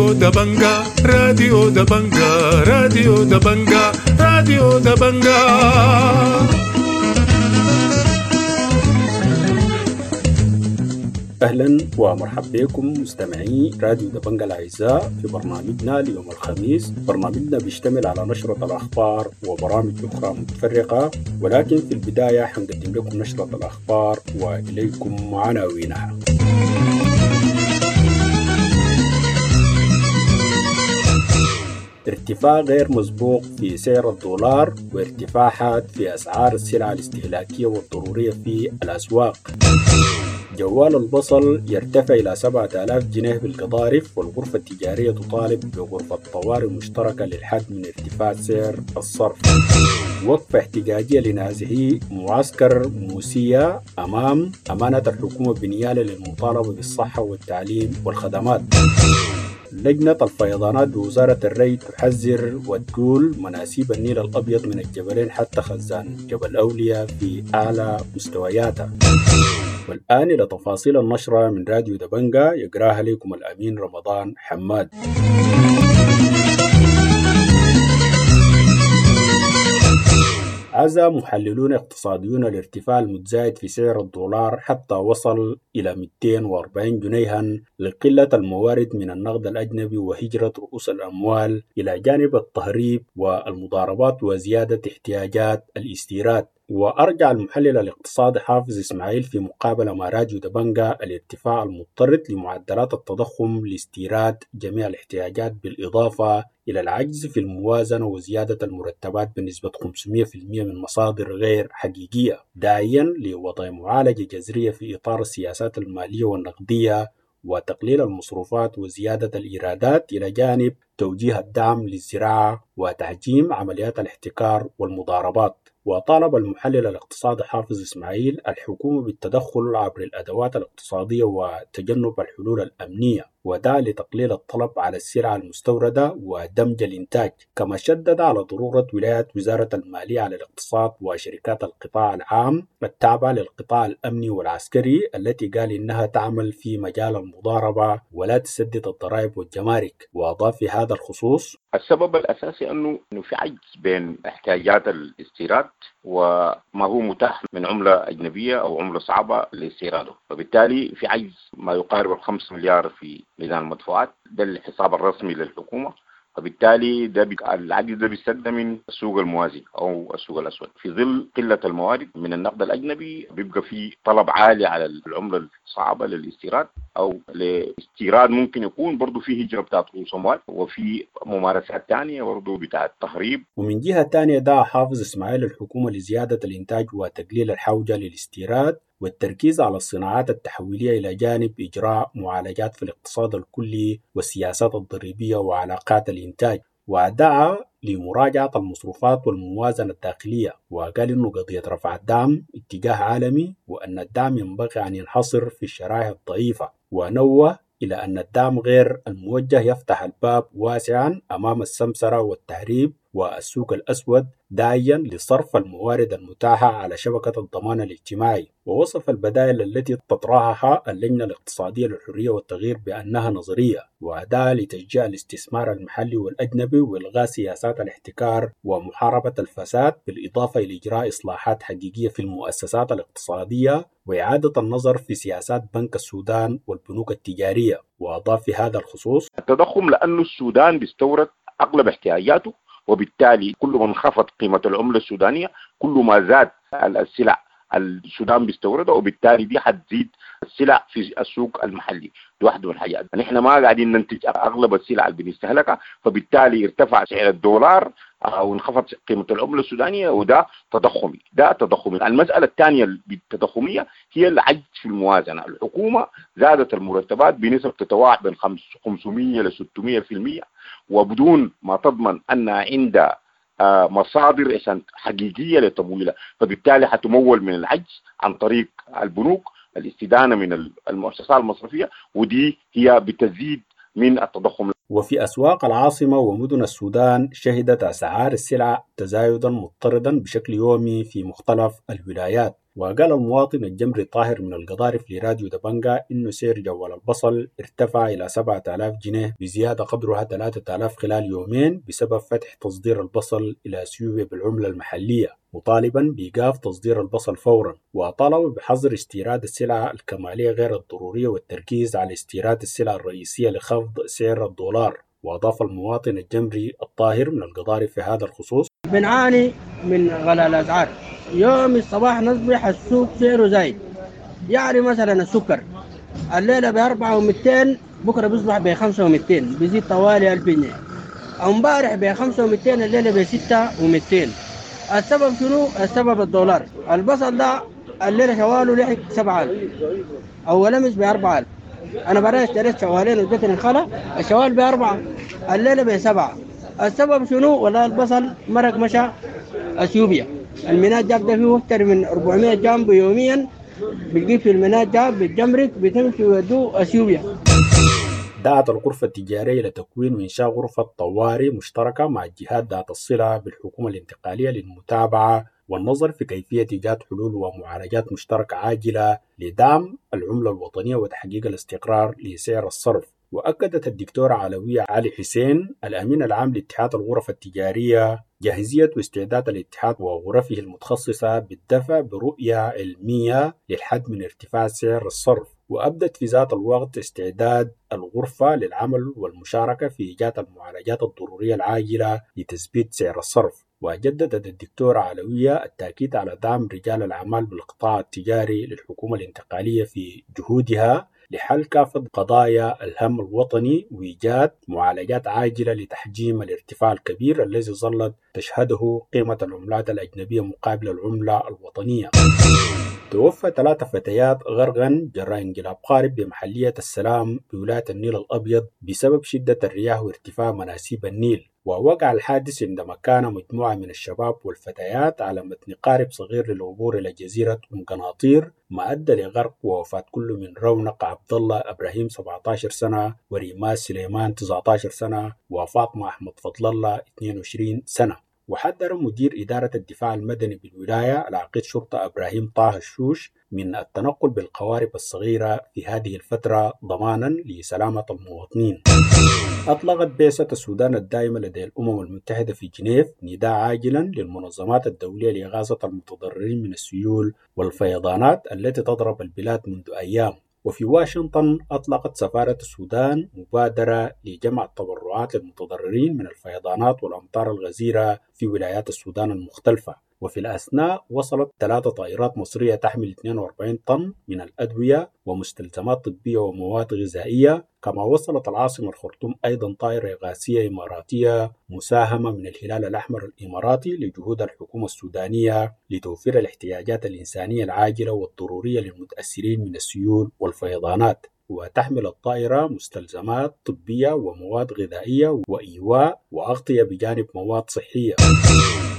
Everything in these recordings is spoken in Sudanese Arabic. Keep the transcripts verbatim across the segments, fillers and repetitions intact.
راديو دبنجا، راديو دبنجا، راديو دبنجا، راديو دبنجا. أهلا ومرحبا بكم مستمعي راديو دبنجا الأعزاء في برنامجنا ليوم الخميس. برنامجنا بيشتمل على نشرة الأخبار وبرامج أخرى متفرقة، ولكن في البداية حنقدم لكم نشرة الأخبار وإليكم عناوينها. ارتفاع غير مسبوق في سعر الدولار وارتفاع حاد في أسعار السلع الاستهلاكية والضرورية في الأسواق. جوال البصل يرتفع إلى سبعة آلاف جنيه بالقضارف، والغرفة التجارية تطالب بغرفة طوارئ مشتركة للحد من ارتفاع سعر الصرف. وقفة احتجاجية لنازحي معسكر موسية أمام أمانة الحكومة بنيالة للمطالبة بالصحة والتعليم والخدمات. لجنة الفيضانات بوزارة الري تحذر وتقول مناسيب النيل الأبيض من الجبلين حتى خزان جبل أولياء في أعلى مستوياتها. والآن إلى تفاصيل النشرة من راديو دبنجا يقراها لكم الأمين رمضان حماد. عزى محللون اقتصاديون الارتفاع المتزايد في سعر الدولار حتى وصل إلى مئتين وأربعين جنيها لقلة الموارد من النقد الأجنبي وهجرة رؤوس الأموال إلى جانب التهريب والمضاربات وزيادة احتياجات الاستيراد. وأرجع المحلل الاقتصادي حافظ إسماعيل في مقابلة مع راديو دبنجا الارتفاع المضطرد لمعدلات التضخم لاستيراد جميع الاحتياجات، بالإضافة إلى العجز في الموازنة وزيادة المرتبات بنسبة خمسمئة في المئة من مصادر غير حقيقية، داعيا لوضع معالجة جذرية في إطار السياسات المالية والنقدية وتقليل المصروفات وزيادة الإيرادات، إلى جانب توجيه الدعم للزراعة وتحجيم عمليات الاحتكار والمضاربات. وطالب المحلل الاقتصادي حافظ إسماعيل الحكومة بالتدخل عبر الأدوات الاقتصادية وتجنب الحلول الأمنية، ودعا لتقليل الطلب على السلع المستوردة ودمج الإنتاج، كما شدد على ضرورة ولاية وزارة المالية على الاقتصاد وشركات القطاع العام التابعة للقطاع الأمني والعسكري التي قال إنها تعمل في مجال المضاربة ولا تسدد الضرائب والجمارك. وأضاف في هذا الخصوص: السبب الأساسي أنه في عجز بين احتياجات الاستيراد وما هو متاح من عملة أجنبية أو عملة صعبة لاستيراده، فبالتالي في عجز ما يقارب الخمس مليار في ميزان المدفوعات، ده الحساب الرسمي للحكومة، فبالتالي ده بي... العجز ده بيسد من السوق الموازي او السوق الاسود. في ظل قلة الموارد من النقد الاجنبي بيبقى في طلب عالي على العملة الصعبة للاستيراد او لاستيراد، ممكن يكون برضه في هجره بتاعت رؤوس اموال وفي ممارسات ثانية برضه بتاعت تهريب. ومن جهة ثانية دعا حافظ اسماعيل الحكومة لزيادة الانتاج وتقليل الحوجه للاستيراد والتركيز على الصناعات التحويلية، إلى جانب إجراء معالجات في الاقتصاد الكلي والسياسات الضريبية وعلاقات الإنتاج. ودعا لمراجعة المصروفات والموازنة الداخلية، وقال إنه قضية رفع الدعم اتجاه عالمي وأن الدعم ينبغي أن ينحصر في الشرائح الضعيفة، ونوه إلى أن الدعم غير الموجه يفتح الباب واسعا أمام السمسرة والتهريب والسوق الأسود، داعيا لصرف الموارد المتاحة على شبكة الضمان الاجتماعي. ووصف البدائل التي تطرحها اللجنة الاقتصادية للحرية والتغيير بأنها نظرية، ودعا لتشجيع الاستثمار المحلي والأجنبي وإلغاء سياسات الاحتكار ومحاربة الفساد، بالإضافة إلى إجراء إصلاحات حقيقية في المؤسسات الاقتصادية وإعادة النظر في سياسات بنك السودان والبنوك التجارية. وأضاف في هذا الخصوص: التضخم لأن السودان بيستورد أغلب احتياجاته، وبالتالي كل ما انخفض قيمة العملة السودانية كل ما زاد السلع السودان بيستوردها، وبالتالي دي حتزيد السلع في السوق المحلي. دي واحدة من الحاجات، نحن ما قاعدين ننتج أغلب السلع اللي بنستهلكها، فبالتالي ارتفع سعر الدولار أو انخفض قيمة العملة السودانية، وده تضخمي، ده تضخمي. المسألة الثانية التضخمية هي العجز في الموازنة. الحكومة زادت المرتبات بنسب تتواعد بين خمسمئة إلى ستمئة في المئة، وبدون ما تضمن أن عندها مصادر حقيقية لتمويلها، فبالتالي حتمول من العجز عن طريق البنوك، الاستدانة من المؤسسات المصرفية، ودي هي بتزيد من التضخم. وفي أسواق العاصمة ومدن السودان شهدت أسعار السلع تزايدا مضطردا بشكل يومي في مختلف الولايات. وقال المواطن الجمري طاهر من القضارف لراديو دبنجا إنه سعر جوال البصل ارتفع إلى سبعة آلاف جنيه بزيادة قدرها ثلاثة آلاف خلال يومين بسبب فتح تصدير البصل إلى اثيوبيا بالعملة المحلية، مطالبا بإيقاف تصدير البصل فورا، وطالب بحظر استيراد السلع الكمالية غير الضرورية والتركيز على استيراد السلع الرئيسية لخفض سعر الدولار. وأضاف المواطن الجمري الطاهر من القضارف في هذا الخصوص: بنعاني من غلاء الأسعار، يوم الصباح نصبح السوق سعره زايد، يعني مثلا السكر الليلة بأربعة ومئتين بكرة بيصبح بخمسة ومئتين، بيزيد طوالي ألف جنيه. امبارح بخمسة ومئتين الليلة بستة ومئتين. السبب شنو؟ السبب الدولار. البصل ده الليلة شواله لحق سبعة ألف أول أمس بأربعة ألف. أنا برا اشتريت شوالين واديتني الخلا، الشوال بأربعة الليلة بسبعة. السبب شنو؟ والله البصل مرق مشى اثيوبيا، الميناء جاب ده فيه اكثر من أربعمية جامبو يوميا، بتجيب في الميناء جاب بالجمرك بتمشي ويودوه اثيوبيا. دعت الغرفة التجارية لتكوين وإنشاء غرفة طوارئ مشتركة مع الجهات ذات الصلة بالحكومة الانتقالية للمتابعة والنظر في كيفية إيجاد حلول ومعالجات مشتركة عاجلة لدعم العملة الوطنية وتحقيق الاستقرار لسعر الصرف. وأكدت الدكتورة علوية علي حسين الأمين العام لاتحاد الغرف التجارية جاهزية واستعداد الاتحاد وغرفه المتخصصة بالدفع برؤية علمية للحد من ارتفاع سعر الصرف، وأبدت في ذات الوقت استعداد الغرفة للعمل والمشاركة في إيجاد المعالجات الضرورية العاجلة لتثبيت سعر الصرف. وجددت الدكتورة علوية التأكيد على دعم رجال الأعمال بالقطاع التجاري للحكومة الانتقالية في جهودها لحل كافة قضايا الهم الوطني وإيجاد معالجات عاجلة لتحجيم الارتفاع الكبير الذي ظلت تشهده قيمة العملات الأجنبية مقابل العملة الوطنية. توفى ثلاث فتيات غرقا جراء انقلاب قارب بمحلية السلام بولاية النيل الأبيض بسبب شدة الرياح وارتفاع مناسيب النيل. ووقع الحادث عندما كان مجموعة من الشباب والفتيات على متن قارب صغير للعبور إلى جزيرة أم قناطير، ما أدى لغرق ووفاة كل من رونق عبد الله إبراهيم سبعة عشر سنة، وريماس سليمان تسعة عشر سنة، وفاطمة أحمد فضل الله اثنين وعشرين سنة. وحذر مدير إدارة الدفاع المدني بالولاية العقيد شرطة إبراهيم طه الشوش من التنقل بالقوارب الصغيرة في هذه الفترة ضمانا لسلامة المواطنين. أطلقت بعثة السودان الدائمة لدى الأمم المتحدة في جنيف نداء عاجلا للمنظمات الدولية لإغاثة المتضررين من السيول والفيضانات التي تضرب البلاد منذ أيام. وفي واشنطن أطلقت سفارة السودان مبادرة لجمع التبرعات للمتضررين من الفيضانات والأمطار الغزيرة في ولايات السودان المختلفة. وفي الأثناء وصلت ثلاث طائرات مصرية تحمل اثنين وأربعين طن من الأدوية ومستلزمات طبية ومواد غذائية، كما وصلت العاصمة الخرطوم أيضا طائرة إغاثية إماراتية مساهمة من الهلال الأحمر الإماراتي لجهود الحكومة السودانية لتوفير الاحتياجات الإنسانية العاجلة والضرورية للمتأثرين من السيول والفيضانات. وتحمل الطائرة مستلزمات طبية ومواد غذائية وإيواء وأغطية بجانب مواد صحية.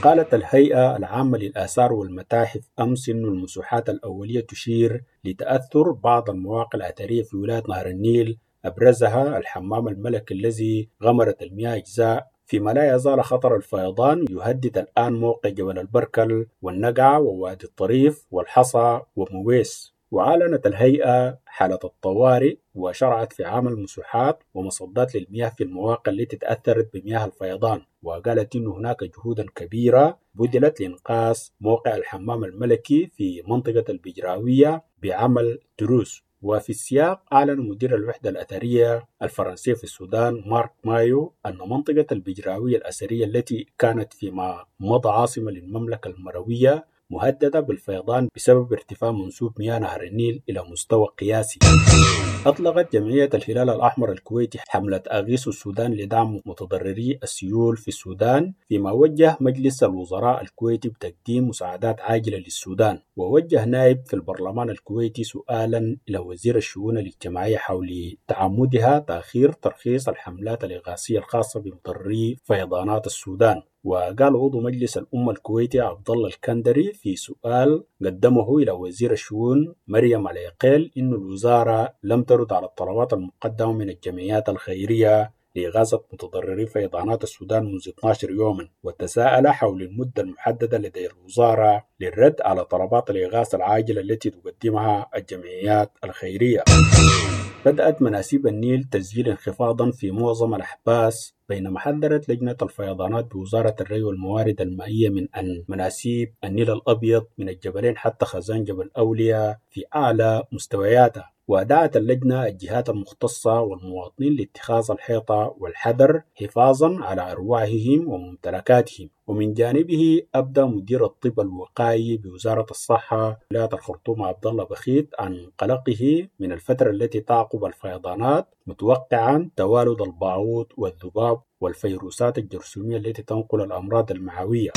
قالت الهيئة العامة للآثار والمتاحف أمس إن المسوحات الأولية تشير لتأثر بعض المواقع الأثرية في ولاية نهر النيل، أبرزها الحمام الملكي الذي غمرت المياه أجزاء، فيما لا يزال خطر الفيضان يهدد الآن موقع جبل البركل والنقعة ووادي الطريف والحصى ومويس. وأعلنت الهيئة حالة الطوارئ وشرعت في عمل مسوحات ومصدات للمياه في المواقع التي تأثرت بمياه الفيضان، وقالت إن هناك جهودا كبيرة بذلت لإنقاذ موقع الحمام الملكي في منطقة البجراوية بعمل تروس. وفي السياق أعلن مدير الوحدة الأثرية الفرنسية في السودان مارك مايو أن منطقة البجراوية الأثرية التي كانت فيما مضى عاصمة للمملكة المروية مهددة بالفيضان بسبب ارتفاع منسوب مياه نهر النيل إلى مستوى قياسي. أطلقت جمعية الهلال الأحمر الكويتي حملة أغيث السودان لدعم متضرري السيول في السودان، فيما وجه مجلس الوزراء الكويتي بتقديم مساعدات عاجلة للسودان. ووجه نائب في البرلمان الكويتي سؤالا إلى وزير الشؤون الاجتماعية حول تعمدها تأخير ترخيص الحملات الإغاثية الخاصة بمتضرري فيضانات السودان. وقال عضو مجلس الأمة الكويتي عبد الله الكندري في سؤال قدمه إلى وزير الشؤون مريم العقيل إن الوزارة لم ترد على الطلبات المقدمة من الجمعيات الخيرية لإغاثة متضرري فيضانات السودان منذ اثني عشر يوما، وتساءل حول المدة المحددة لدى الوزارة للرد على طلبات الإغاثة العاجلة التي تقدمها الجمعيات الخيرية. بدأت مناسيب النيل تسجيل انخفاضا في معظم الأحباس، بينما حذرت لجنة الفيضانات بوزارة الري والموارد المائية من أن مناسيب النيل الأبيض من الجبلين حتى خزان جبل أولياء في أعلى مستوياتها. ودعت اللجنة الجهات المختصة والمواطنين لاتخاذ الحيطة والحذر حفاظا على أرواحهم وممتلكاتهم. ومن جانبه أبدى مدير الطب الوقائي بوزارة الصحة ولاية الخرطوم عبد الله بخيت عن قلقه من الفترة التي تعقب الفيضانات، متوقعا توالد البعوض والذباب والفيروسات الجرثومية التي تنقل الأمراض المعوية.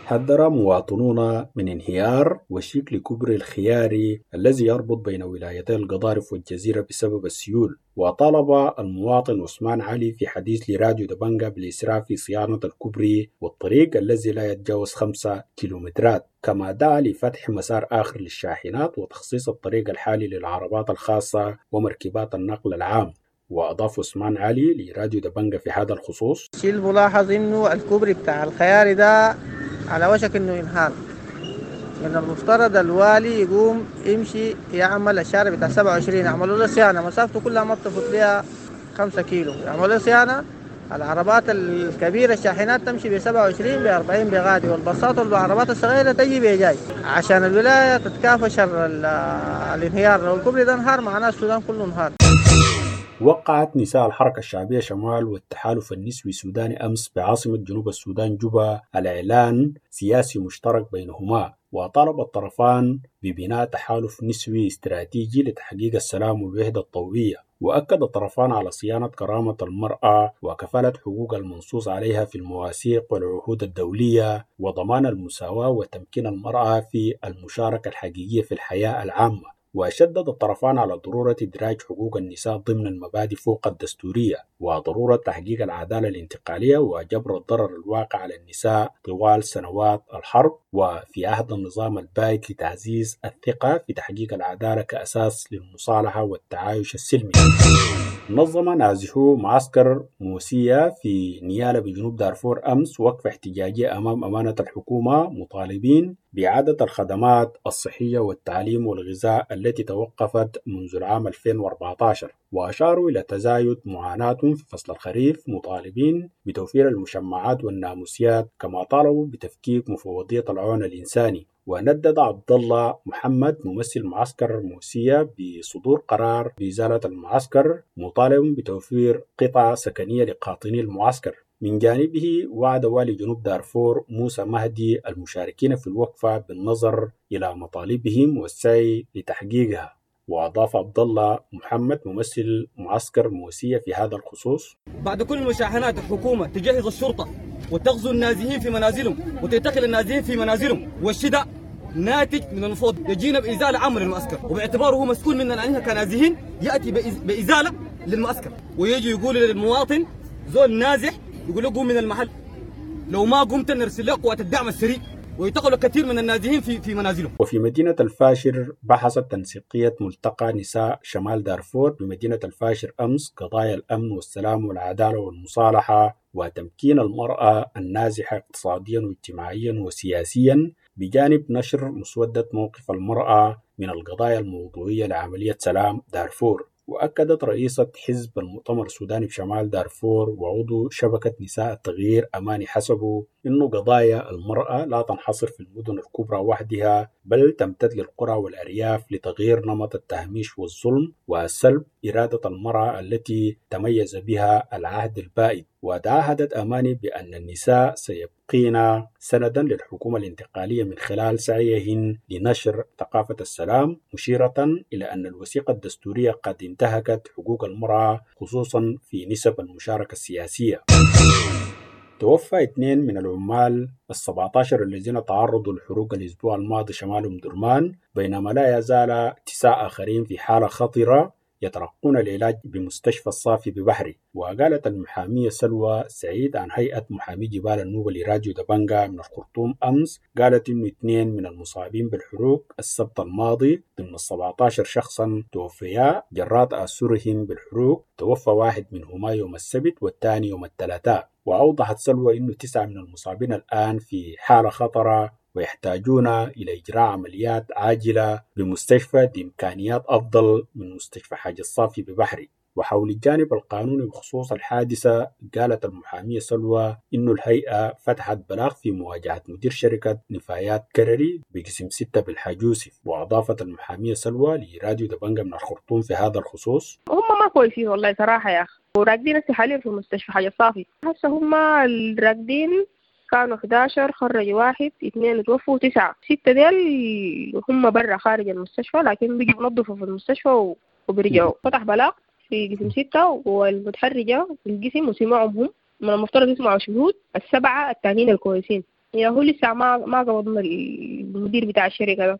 حذر مواطنون من انهيار وشيك لكوبري الخياري الذي يربط بين ولايتي القضارف والجزيرة بسبب السيول. وطالب المواطن عثمان علي في حديث لراديو دبنجا بالإسراع في صيانة الكوبري والطريق الذي لا يتجاوز خمسة كيلومترات، كما دعا لفتح مسار آخر للشاحنات وتخصيص الطريق الحالي للعربات الخاصة ومركبات النقل العام. وأضاف عثمان علي لراديو دبنجا في هذا الخصوص: الشيء الملاحظ انه الكوبري بتاع الخياري ده على وشك انه ينهار. من المفترض الوالي يقوم يمشي يعمل الشارع بتاع سبعة وعشرين، يعملوا له صيانه، مسافته كلها ما بتفوت لها خمسة كيلو، يعملوا له صيانه، العربات الكبيرة الشاحنات تمشي ب سبعة وعشرين ب أربعين بغادي، والباصات والعربات الصغيرة تجي بجاي، عشان الولاية تتكافى شر الانهيار. لو الكوبري ده انهار معناه السودان كله انهار. وقعت نساء الحركة الشعبية شمال والتحالف النسوي السوداني أمس بعاصمة جنوب السودان جوبا على إعلان سياسي مشترك بينهما. وطالب الطرفان ببناء تحالف نسوي استراتيجي لتحقيق السلام والوحدة الطوعية. وأكد الطرفان على صيانة كرامة المرأة وكفالة حقوق المنصوص عليها في المواثيق والعهود الدولية وضمان المساواة وتمكين المرأة في المشاركة الحقيقية في الحياة العامة. وشدد الطرفان على ضرورة إدراج حقوق النساء ضمن المبادئ فوق الدستورية، وضرورة تحقيق العدالة الانتقالية وجبر الضرر الواقع على النساء طوال سنوات الحرب وفي عهد النظام البائد لتعزيز الثقة في تحقيق العدالة كأساس للمصالحة والتعايش السلمي. نظم نازحو معسكر موسية في نيالا بجنوب دارفور أمس وقفة احتجاجية أمام أمانة الحكومة، مطالبين بإعادة الخدمات الصحية والتعليم والغذاء التي توقفت منذ العام ألفين وأربعة عشر. وأشاروا إلى تزايد معاناتهم في فصل الخريف، مطالبين بتوفير المشمعات والناموسيات، كما طالبوا بتفكيك مفوضية العون الإنساني. وندد عبد الله محمد ممثل معسكر موسية بصدور قرار بإزالة المعسكر، مطالب بتوفير قطع سكنية لقاطني المعسكر. من جانبه وعد والي جنوب دارفور موسى مهدي المشاركين في الوقفة بالنظر إلى مطالبهم والسعي لتحقيقها. وأضاف عبد الله محمد ممثل معسكر موسية في هذا الخصوص: بعد كل المشاحنات الحكومة تجهز الشرطة وتغزو النازحين في منازلهم وتعتقل النازحين في منازلهم، والشي ده ناتج من المفروض يجينا بإزالة عامة للمعسكر، وباعتباره هو مسؤول مننا نحن كنازحين يأتي بإزالة للمعسكر، ويجي يقول للمواطن زول نازح يقول له قوم من المحل، لو ما قمت نرسل لك قوات الدعم السريع، ويعتقلوا كثير من النازحين في في منازلهم. وفي مدينة الفاشر بحثت تنسيقية ملتقى نساء شمال دارفور بمدينة الفاشر أمس قضايا الأمن والسلام والعدالة والمصالحة وتمكين المرأة النازحة اقتصاديا واجتماعيا وسياسيا، بجانب نشر مسودة موقف المرأة من القضايا الموضوعية لعملية سلام دارفور. وأكدت رئيسة حزب المؤتمر السوداني بشمال دارفور وعضو شبكة نساء التغيير أماني حسبو أن قضايا المرأة لا تنحصر في المدن الكبرى وحدها، بل تمتد للقرى والأرياف لتغيير نمط التهميش والظلم وسلب إرادة المرأة التي تميز بها العهد البائد. وتعهدت أماني بأن النساء سيبقين سندا للحكومة الانتقالية من خلال سعيهن لنشر ثقافة السلام، مشيرة إلى أن الوثيقة الدستورية قد انتهكت حقوق المرأة، خصوصا في نسب المشاركة السياسية. توفى اثنين من العمال السبعة عشر الذين تعرضوا للحروق الأسبوع الماضي شمال أم درمان، بينما لا يزال تسعة آخرين في حالة خطرة. يتلقون العلاج بمستشفى الصافي ببحري. وقالت المحامية سلوى سعيد عن هيئة محامي جبال النوبة لراديو دبنجا من الخرطوم أمس، قالت إنه اثنين من المصابين بالحروق السبت الماضي ضمن سبعة عشر شخصا توفيا جراء تأثرهم بالحروق، توفى واحد منهما يوم السبت والثاني يوم الثلاثاء. وأوضحت سلوى إنه تسعة من المصابين الآن في حالة خطرة ويحتاجون إلى إجراء عمليات عاجلة بمستشفى بإمكانيات أفضل من مستشفى حاج الصافي ببحري. وحول الجانب القانوني بخصوص الحادثة، قالت المحامية سلوى إنه الهيئة فتحت بلاغ في مواجهة مدير شركة نفايات كرري بقسم ستة بالحاج يوسف. وأضافت المحامية سلوى لراديو دبنجا من الخرطوم في هذا الخصوص: هم ما كويسين والله صراحة يا أخي، وراقدين هسه حاليا في مستشفى حاج الصافي. هسه هم الراقدين كانوا أحد عشر، خرجوا واحد، اثنين توفوا، تسعة، ستة ديل هم برا خارج المستشفى، لكن بيجوا ينظفوا في المستشفى وبيرجعوا. فتح بلاغ في قسم ستة والمتحرجة في القسم وسمعهم هم، من المفترض يسمعوا شهود السبعة التانيين الكويسين. يا هو لسه ما ما قبضنا المدير بتاع الشركة ده.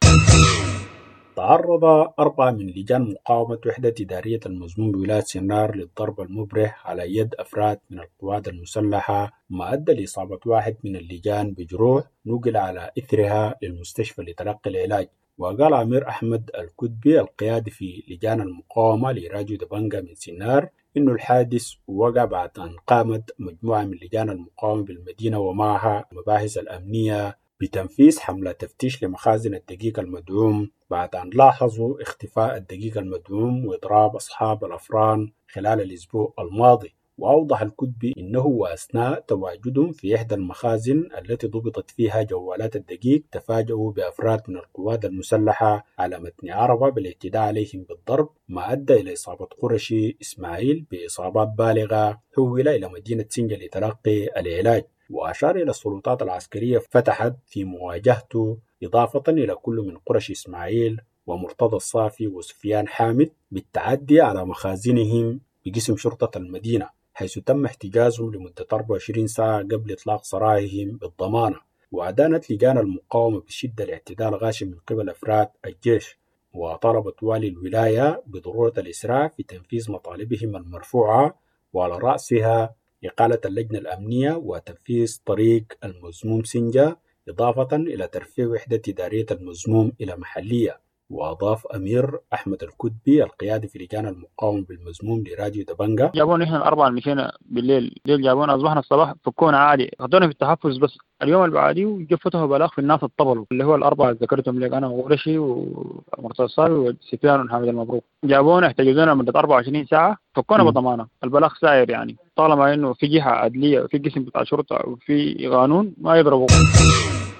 تعرض أربعة من لجان مقاومة وحدة إدارية المزموم بولاية سنار للضرب المبرح على يد أفراد من القوات المسلحة، ما أدى لإصابة واحد من اللجان بجروح نقل على إثرها للمستشفى لتلقي العلاج. وقال عمير أحمد الكتبي القيادي في لجان المقاومة لراديو دبنجا من سنار إنه الحادث وقع بعد أن قامت مجموعة من لجان المقاومة بالمدينة ومعها المباحث الأمنية بتنفيذ حملة تفتيش لمخازن الدقيق المدعوم بعد أن لاحظوا اختفاء الدقيق المدعوم وإضراب أصحاب الأفران خلال الأسبوع الماضي. وأوضح الكتبي إنه وأثناء تواجدهم في إحدى المخازن التي ضبطت فيها جوالات الدقيق تفاجؤوا بأفراد من القوات المسلحة على متن عربة بالاعتداء عليهم بالضرب، ما أدى إلى إصابة قرشي إسماعيل بإصابات بالغة حول إلى مدينة سنجة لتلقي العلاج. وأشار إلى السلطات العسكرية فتحت في مواجهته إضافة إلى كل من قرش إسماعيل ومرتضى الصافي وسفيان حامد بالتعدي على مخازنهم بقسم شرطة المدينة، حيث تم احتجازهم لمدة أربعة وعشرين ساعة قبل إطلاق سراحهم بالضمانة. وأدانت لجان المقاومة بشدة الاعتداء الغاشم من قبل أفراد الجيش، وطالبت والي الولاية بضرورة الإسراع في تنفيذ مطالبهم المرفوعة وعلى رأسها إقالة اللجنة الأمنية وتنفيذ طريق المزموم سنجة، إضافة إلى ترفيع وحدة إدارية المزموم إلى محلية. وأضاف أمير أحمد الكتبي القيادي في لجان المقاومة بالمزموم لراديو دبنجا: جابونا إحنا الأربعة مشينا بالليل، الليل جابونا أصبحنا الصباح فكونا عادي، أخذونا في التحفظ بس. اليوم اللي بعديه فتحوا بلاغ في الناس الطبلوا اللي هو الأربعة اللي ذكرتهم لك أنا وقرشي ومرتضى الصافي وسفيان وحامد المبروك. جابونا احتجزونا لمدة أربعة وعشرين ساعة، فكونا بضمانة. البلاغ ساير يعني، طالما إنه في جهة عدلية وفي قسم بتاع شرطة وفي قانون ما يضربوا.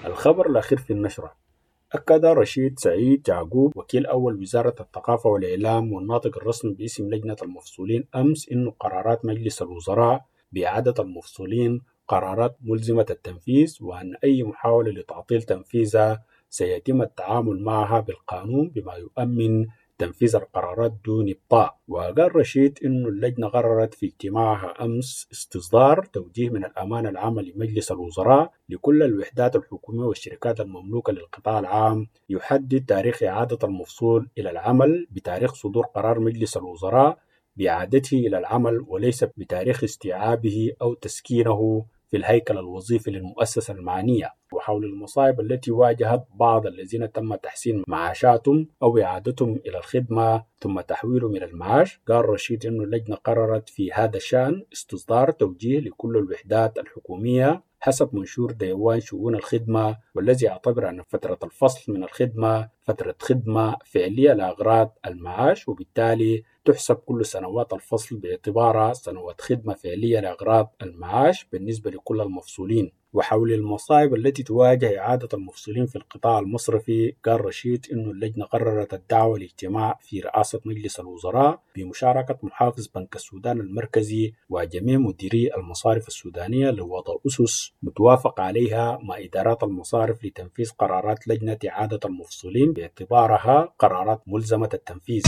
الخبر الأخير في النشرة: أكد رشيد سعيد يعقوب وكيل أول وزارة الثقافة والإعلام والناطق الرسمي باسم لجنة المفصولين أمس إنه قرارات مجلس الوزراء بإعادة المفصولين قرارات ملزمة التنفيذ، وأن أي محاولة لتعطيل تنفيذها سيتم التعامل معها بالقانون بما يؤمن تنفيذ القرارات دون إبطاء. وقال رشيد إنه اللجنة قررت في اجتماعها أمس استصدار توجيه من الأمانة العامة لمجلس الوزراء لكل الوحدات الحكومية والشركات المملوكة للقطاع العام يحدد تاريخ إعادة المفصول إلى العمل بتاريخ صدور قرار مجلس الوزراء بإعادته إلى العمل وليس بتاريخ استيعابه أو تسكينه في الهيكل الوظيفي للمؤسسة المعنية. وحول المصاعب التي واجهت بعض الذين تم تحسين معاشاتهم أو إعادتهم إلى الخدمة ثم تحويلهم إلى المعاش، قال رشيد إنه اللجنة قررت في هذا الشأن استصدار توجيه لكل الوحدات الحكومية حسب منشور ديوان شؤون الخدمة، والذي يعتبر أن فترة الفصل من الخدمة فترة خدمة فعلية لأغراض المعاش، وبالتالي تحسب كل سنوات الفصل باعتبارها سنوات خدمة فعلية لأغراض المعاش بالنسبة لكل المفصولين. وحول المصاعب التي تواجه إعادة المفصولين في القطاع المصرفي، قال رشيد إنه اللجنة قررت الدعوة لاجتماع في رئاسة مجلس الوزراء بمشاركة محافظ بنك السودان المركزي وجميع مديري المصارف السودانية لوضع أسس متوافق عليها مع إدارات المصارف لتنفيذ قرارات لجنة إعادة المفصولين باعتبارها قرارات ملزمة التنفيذ.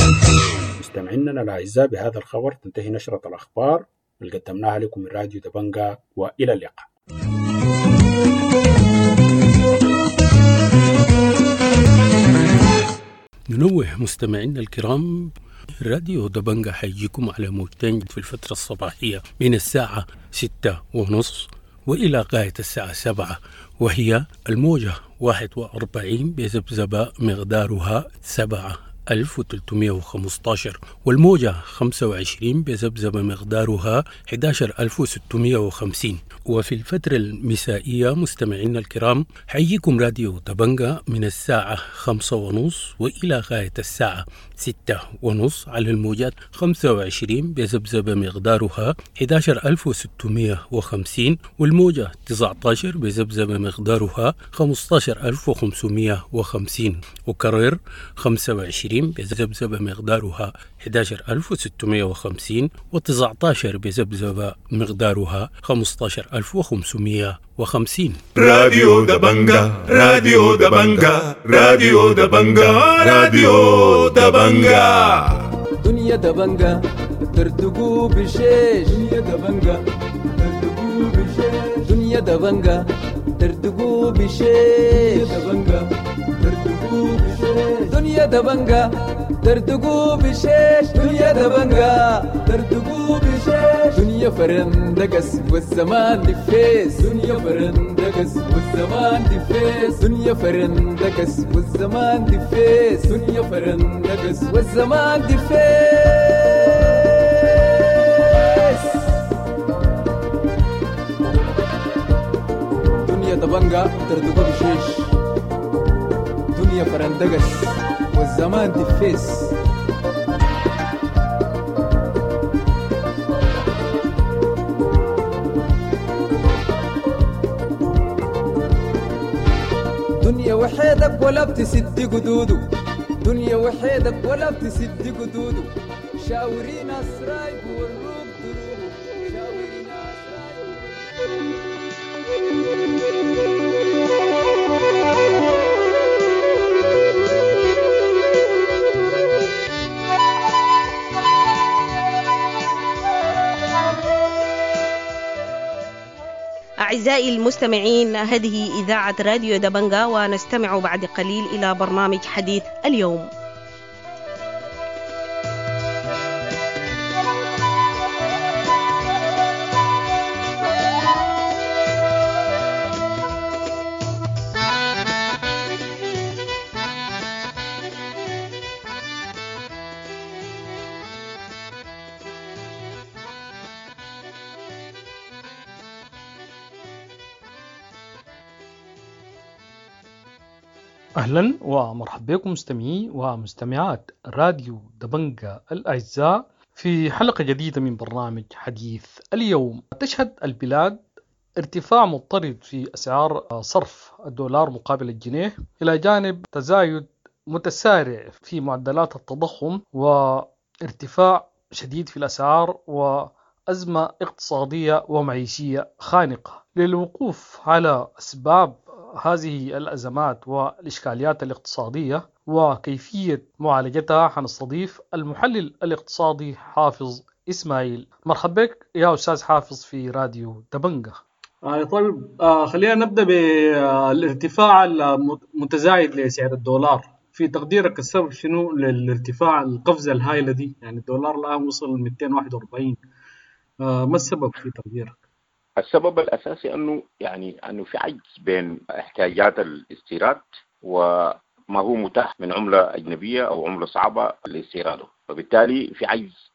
مستمعينا الأعزاء، بهذا الخبر تنتهي نشرة الأخبار اللي قدمناها لكم من راديو دبنجا، وإلى اللقاء. ننوه مستمعينا الكرام راديو دبنجا حيجيكم على موجتين في الفترة الصباحية من الساعة ستة ونص وإلى غاية الساعة سبعة، وهي الموجة واحد وأربعين بذبذبة مقدارها سبعة ألف وثلاثمائة وخمسة عشر، والموجة خمسة وعشرين بذبذبة مقدارها أحد عشر ألف وستمائة وخمسين. وفي الفترة المسائية مستمعينا الكرام، حيجيكم راديو دبنجا من الساعة خمسة ونص وإلى غاية الساعة ستة ونص على الموجات خمسة وعشرين بذبذبة مقدارها أحد عشر ألف وستمائة وخمسين، والموجة تسعة عشر بذبذبة مقدارها خمسة عشر ألف وخمسمائة وخمسين. وكرر، خمسة وعشرين بذبذبة مقدارها أحد عشر ألف وستمائة وخمسين، وتسعة عشر بذبذبة مقدارها خمسة عشر ألف وخمسمائة وخمسين. راديو دبنجا، راديو دبنجا، راديو دبنجا، راديو دبنجا. دنيا دبنجا تردقوا بشيش، دنيا دبنجا تردقوا بشيش، دنيا دبنجا تردقوا بشيش، دبنجا تردقوا بشيش، دنيا دبنجا تردقوا بشيش، دنيا دبنجا تردقوا بشيش، دنيا فرندقس والزمان دفيس، دنيا فرندقس والزمان دفيس، دنيا فرندقس والزمان دفيس، دنيا فرندقس والزمان دفيس، دنيا دبنجا تردقوا بشيش، دنيا فرندقس والزمان دفيس. دنيا وحيدك ولا بتسد قدوده، دنيا وحيدك ولا بتسد قدوده، شاوري ناس رايق والروق دروبه، شاوري ناس رايق. أعزائي المستمعين، هذه إذاعة راديو دبنجا، ونستمع بعد قليل إلى برنامج حديث اليوم. أهلا ومرحبا بكم مستمعي ومستمعات راديو دبنجا الأعزاء في حلقة جديدة من برنامج حديث اليوم. تشهد البلاد ارتفاع مضطرد في أسعار صرف الدولار مقابل الجنيه، إلى جانب تزايد متسارع في معدلات التضخم وارتفاع شديد في الأسعار وأزمة اقتصادية ومعيشية خانقة. للوقوف على أسباب هذه الأزمات والإشكاليات الاقتصادية وكيفية معالجتها، حنستضيف المحلل الاقتصادي حافظ إسماعيل. مرحبا بك يا أستاذ حافظ في راديو دبنجة. آه طيب، آه خلينا نبدأ بالارتفاع المتزايد لسعر الدولار. في تقديرك السبب شنو للارتفاع، القفزة الهائلة دي؟ يعني الدولار الآن وصل مئتين وواحد وأربعين، آه ما السبب في تقديرك؟ السبب الاساسي انه يعني انه في عجز بين احتياجات الاستيراد وما هو متاح من عمله اجنبية او عمله صعبة لاستيراده، فبالتالي في عجز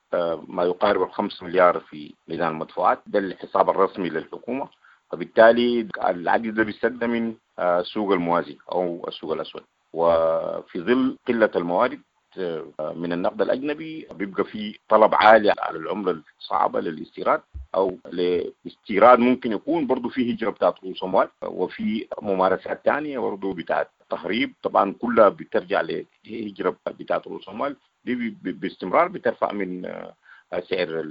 ما يقارب الخمس مليار في ميزان المدفوعات، ده الحساب الرسمي للحكومه. فبالتالي العجز ده بيستد من السوق الموازي او السوق الاسود، وفي ظل قلة الموارد من النقد الاجنبي بيبقى في طلب عالي على العملة الصعبة للاستيراد او لاستيراد. ممكن يكون برضه في هجره بتاعت رؤوس اموال وفي ممارسات ثانية برضه بتاعت تهريب، طبعا كلها بترجع لهجره بتاعت رؤوس اموال، دي باستمرار بترفع من سعر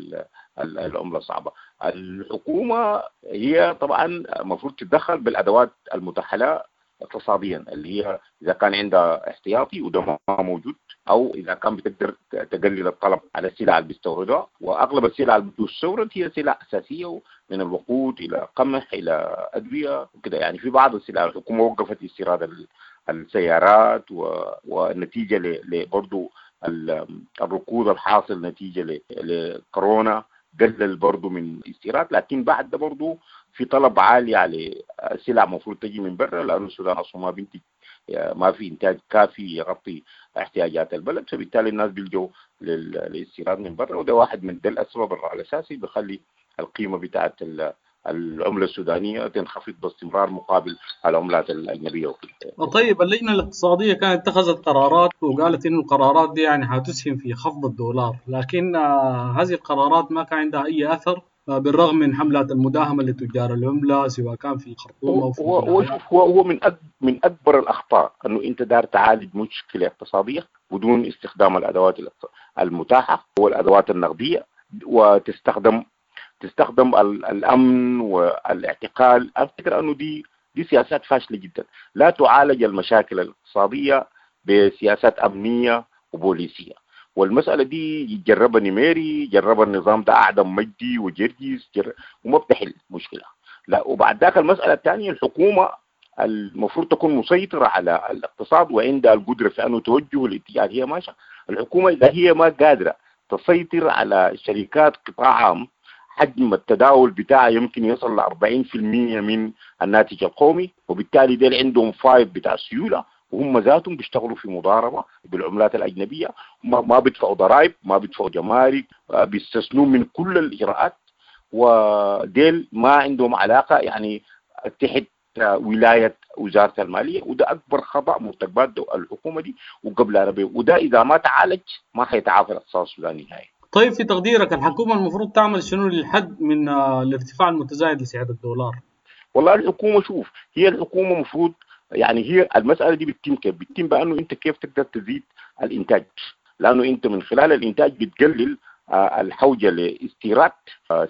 العملة الصعبة. الحكومة هي طبعا المفروض تتدخل بالادوات المتاحة لها اقتصاديا، اللي هي اذا كان عندها احتياطي وده ما موجود، او اذا كان بتقدر تقلل الطلب على السلع اللي بيستوردها، واغلب السلع اللي بتستورد هي سلع اساسية، من الوقود الى قمح الى ادوية وكده. يعني في بعض السلع الحكومة وقفت استيراد السيارات، و... والنتيجة برضه الركود الحاصل نتيجة لكورونا قلل برضو من الاستيراد، لكن بعد ده برضو في طلب عالي على سلع المفروض تجي من برا، لأنه السودان أصلا ما بينتج، ما في إنتاج كافي يغطي احتياجات البلد، فبالتالي الناس بيلجوا للاستيراد من برا، وده واحد من ده الأسباب الأساسي بخلي القيمة بتاعت العملة السودانية تنخفض باستمرار مقابل العملات الأجنبية وكده. طيب اللجنة الاقتصادية كانت اتخذت قرارات وقالت إنه القرارات دي يعني هتسهم في خفض الدولار، لكن هذه القرارات ما كان عندها أي أثر بالرغم من حملات المداهمة لتجار العملة سواء كان في الخرطوم أو في هو هو هو هو من من أكبر الأخطاء إنه أنت دار تعالج مشكلة اقتصادية بدون استخدام الأدوات المتاحة والأدوات النقدية، وتستخدم تستخدم الأمن والاعتقال. أفتكر أنه دي دي سياسات فاشلة جدا، لا تعالج المشاكل الاقتصادية بسياسات أمنية وبوليسية. والمسألة دي جربها نميري، جربها النظام ده أعدم مجدي وجرجيس جر... وما بتحل مشكلة. لا، وبعد ذاك المسألة الثانية، الحكومة المفروض تكون مسيطرة على الاقتصاد وعندها القدرة في أنه توجه الاتجاه هي ماشية. الحكومة إذا هي ما قادرة تسيطر على شركات قطاع عام حجم التداول بتاعه يمكن يصل ل أربعين بالمئة من الناتج القومي، وبالتالي ديل عندهم فايض بتاع سيولة، وهم ذاتهم بيشتغلوا في مضاربة بالعملات الأجنبية، ما بيدفعوا ضرائب، ما بيدفعوا جمارك، بيستثنوا من كل الإجراءات، وديل ما عندهم علاقة يعني تحت ولاية وزارة المالية. وده أكبر خطأ مرتكبات الحكومة دي وقبل عربية، وده إذا ما تعالج ما حيتعافى الاقتصاد السوداني نهائي. طيب في تقديرك الحكومة المفروض تعمل شنو للحد من الارتفاع المتزايد لسعر الدولار؟ والله الحكومة شوف، هي الحكومة مفروض يعني هي المسألة دي بتتم كيف؟ بتتم بأنه أنت كيف تقدر تزيد الإنتاج، لأنه أنت من خلال الإنتاج بتقلل الحوجة لاستيراد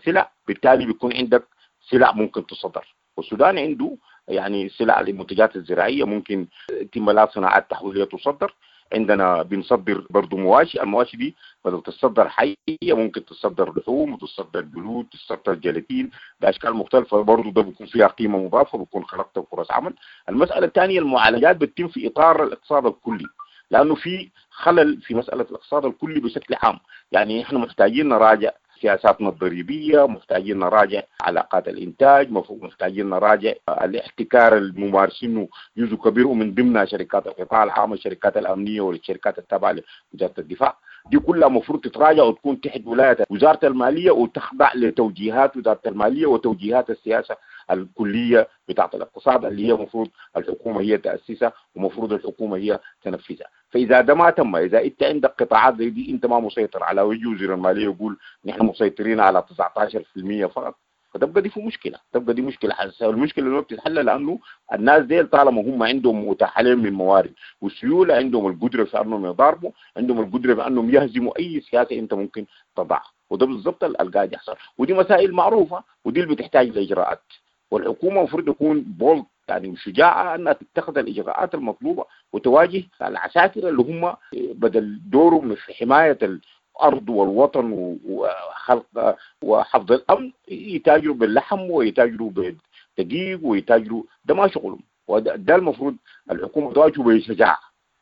سلع، بالتالي بيكون عندك سلع ممكن تصدر. والسودان عنده يعني سلع للمنتجات الزراعية ممكن تم لها صناعات تحويلية تصدر، عندنا بنصدر برضو مواشي، المواشي دي بدل تصدر حية ممكن تصدر لحوم وتصدر جلود، تصدر جيلاتين بأشكال مختلفة، برضو ده بيكون فيها قيمة مضافة، بيكون خلقت فرص عمل. المسألة الثانية المعالجات بتتم في إطار الاقتصاد الكلي، لأنه في خلل في مسألة الاقتصاد الكلي بشكل عام. يعني إحنا محتاجين نراجع سياساتنا الضريبية، محتاجين نراجع علاقات الإنتاج، محتاجين نراجع الاحتكار الممارسينه جزء كبير ومن ضمنها شركات القطاع العام، الشركات الأمنية والشركات التابعة لوزارة الدفاع. دي كلها مفروض تتراجع وتكون تحت ولاية وزارة المالية وتخضع لتوجيهات وزارة المالية وتوجيهات السياسة الكلية بتاعة الاقتصاد اللي هي مفروض الحكومة هي تأسسها ومفروض الحكومة هي تنفذها. فإذا ده ما تم، إذا أنت عندك قطاعات زي دي أنت ما مسيطر على، ويجي وزير المالية يقول نحن مسيطرين على تسعة عشر بالمئة فقط، فتبقى دي في مشكلة، تبقى دي مشكلة حساسة. المشكلة اللي بتتحل لأنه الناس دي طالما هم عندهم متاح لهم من موارد والسيولة، عندهم القدرة في أنهم يضاربوا، عندهم القدرة في أنهم يهزموا أي سياسة أنت ممكن تضعها، وده بالضبط اللي قاعد يحصل. ودي مسائل معروفة ودي اللي بتحتاج لإجراءات، والحكومة المفروض تكون بولد يعني شجاعة أنها تتخذ الإجراءات المطلوبة وتواجه العساكر اللي هم بدل دورهم في حماية الأرض والوطن وخلق وحفظ الأمن يتاجروا باللحم ويتاجروا بالدقيق ويتاجروا، ده ما شغلهم، وده المفروض الحكومة تواجهه بشجاعة.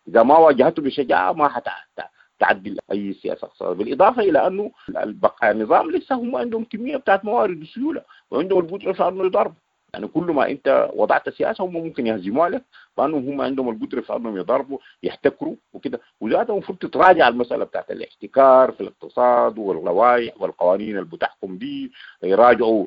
إذا ما واجهته بشجاعة ما حتعدل أي سياسة اقتصادية. بالإضافة إلى أنه البقاء النظام لسه هم عندهم كمية بتاعت موارد وسيولة وعندهم القدرة في أنه يضربوا، يعني كل ما انت وضعت سياسة هم ممكن يهزموها لك، لانهم هم عندهم القدرة في انهم يضربوا يحتكروا وكده. وذاتها المفروض تتراجع المسالة بتاعت الاحتكار في الاقتصاد واللوائح والقوانين اللي بتحكم دي، يراجعوا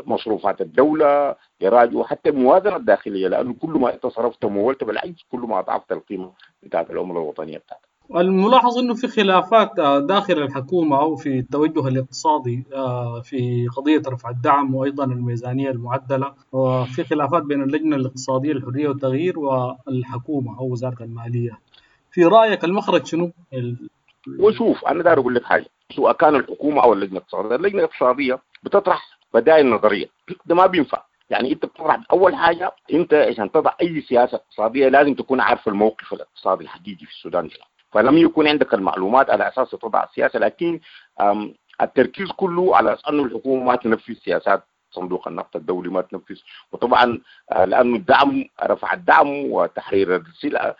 مصروفات الدولة، يراجعوا حتى الموازنة الداخلية، لانه كل ما انت صرفت ومولت بالعجز كل ما اضعفت القيمة بتاعت العملة الوطنية بتاعتك. الملاحظ انه في خلافات داخل الحكومة او في التوجه الاقتصادي في قضية رفع الدعم وايضا الميزانية المعدله، وفي خلافات بين اللجنة الاقتصادية للحرية والتغيير والحكومة او وزارة المالية. في رايك المخرج شنو؟ ال... وشوف انا داير اقول لك حاجة، سواء كان الحكومة او اللجنة الاقتصادية، اللجنة الاقتصادية بتطرح بدائل نظرية، ده ما بينفع. يعني انت بتطرح اول حاجة، انت عشان تضع اي سياسة اقتصادية لازم تكون عارف الموقف الاقتصادي الحقيقي في السودان شنو، فلم يكون عندك المعلومات على اساس تضع السياسة. لكن التركيز كله على انه الحكومة ما تنفذ سياسات صندوق النقد الدولي، ما تنفذ، وطبعا لانه الدعم، رفع الدعم وتحرير السلع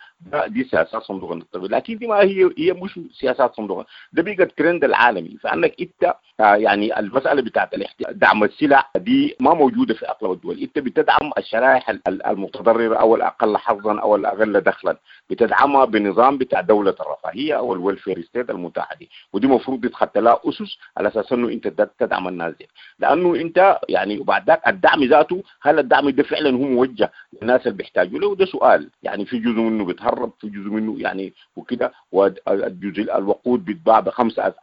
دي سياسات صندوق النقد، لكن دي ما هي هي مش سياسات صندوق، ده بقت ترند العالمي. فانك انت يعني المسالة بتاعت دعم السلع دي ما موجودة في اغلب الدول. انت بتدعم الشرائح المتضررة او الاقل حظا او الاقل دخلا، بتدعمها بنظام بتاع دولة الرفاهية او ال welfare state المتاحة دي، ودي المفروض يتخت لها اسس على اساس انه انت تدعم الناس دي، لانه انت يعني وبعد ذاك الدعم ذاته هل الدعم ده فعلا هو موجه للناس اللي بيحتاجوا له؟ وده سؤال، يعني في جزء منه بيتهرب، في جزء منه يعني وكده، والجزء الوقود بيتباع بخمسة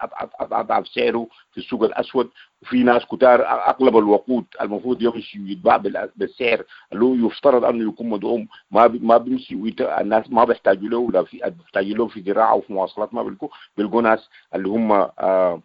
اضعاف سعره في السوق الاسود، وفي ناس كتار اغلب الوقود المفروض يمشي يتباع بالسعر اللي هو يفترض انه يكون مدعوم ما ما بيمشي، الناس ما بيحتاجوا له، ولا في بيحتاجوا له في زراعة وفي مواصلات ما بيلقوا بيلقوا ناس اللي هم آه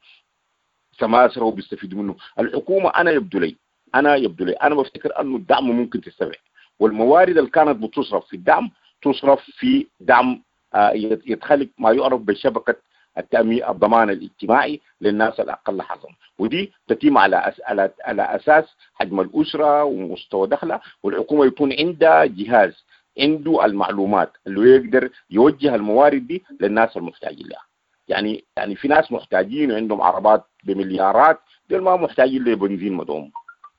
سماسره وبيستفيدوا منه. الحكومة انا يبدو لي انا يبدو لي انا بفتكر انه الدعم ممكن تستبعد، والموارد اللي كانت بتصرف في الدعم تصرف في دعم آه يتخلق ما يعرف بشبكة التأمين الضمان الاجتماعي للناس الأقل حظا، ودي تتم على أس... على على أساس حجم الأسرة ومستوى دخلها، والحكومة يكون عندها جهاز عنده المعلومات اللي يقدر يوجه الموارد دي للناس المحتاجين لها. يعني يعني في ناس محتاجين وعندهم عربات بمليارات، دول ما محتاجين لبنزين مدعوم،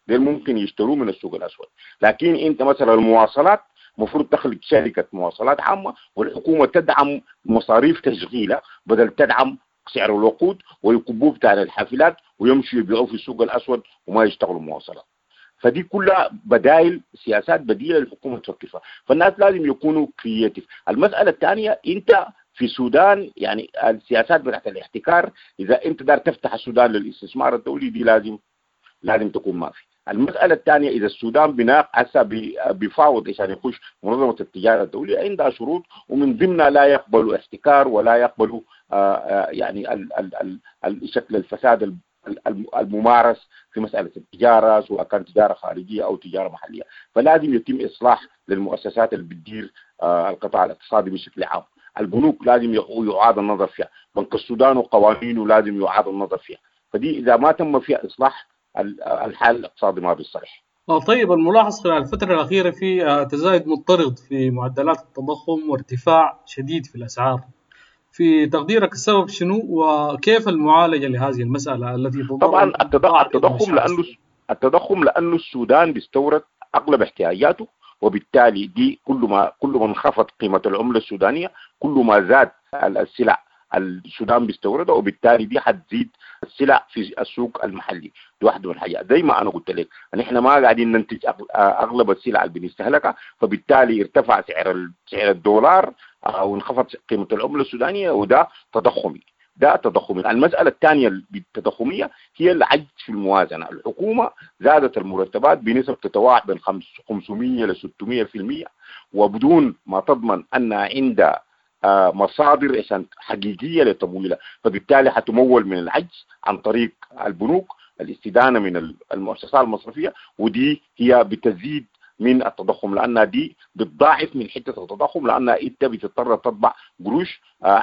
دول ممكن يشتروه من السوق الأسود. لكن أنت مثلا المواصلات مفروض تخلق شركة مواصلات عامة، والحكومة تدعم مصاريف تشغيلها بدل تدعم سعر الوقود ويكبوه بتاع الحافلات ويمشوا يبيعوه في السوق الأسود وما يشتغلوا مواصلات. فدي كلها بدائل، سياسات بديلة للحكومة تفكر فيها. فالناس لازم يكونوا creative. المسألة الثانية، أنت في السودان يعني السياسات بتاعت الاحتكار، إذا أنت دار تفتح السودان للاستثمار الدولي دي لازم لازم تكون ما في. المسألة الثانية، إذا السودان بناق هسه بيفاوض عشان يخش منظمة التجارة الدولية عندها شروط، ومن ضمنها لا يقبلوا احتكار ولا يقبلوا آآ يعني ال ال ال شكل الفساد الممارس في مسألة التجارة، سواء كانت تجارة خارجية أو تجارة محلية. فلازم يتم إصلاح للمؤسسات اللي بتدير القطاع الاقتصادي بشكل عام. البنوك لازم يعاد النظر فيها، بنك السودان وقوانينه لازم يعاد النظر فيها. فدي إذا ما تم فيها إصلاح الحال الاقتصادي ما بيصلح. طيب، الملاحظ خلال الفترة الأخيرة في تزايد مضطرد في معدلات التضخم وارتفاع شديد في الأسعار. في تقديرك السبب شنو وكيف المعالجة لهذه المسألة التي طبعا التضخم لأنه التضخم لأنه السودان بيستورد أغلب احتياجاته، وبالتالي دي كل ما كل ما انخفض قيمة العملة السودانية كل ما زاد السلع السودان بيستوردها، وبالتالي دي حتزيد السلع في السوق المحلي. دي واحدة من الحاجات. زي ما انا قلت لك نحن ما قاعدين ننتج اغلب السلع اللي بنستهلكها، فبالتالي ارتفع سعر سعر الدولار وانخفض قيمة العملة السودانية، وده تضخمي. ده تضخمي. المسالة الثانية التضخميه هي العجز في الموازنة. الحكومة زادت المرتبات بنسب تتراوح بين خمسمية ل ستمية بالمية، وبدون ما تضمن ان عندها مصادر عشان حقيقية لتمويلها، فبالتالي حتمول من العجز عن طريق البنوك، الاستدانه من المؤسسات المصرفية، ودي هي بتزيد من التضخم لانها دي بتضاعف من حتة التضخم، لانها انت بتضطر تطبع قروش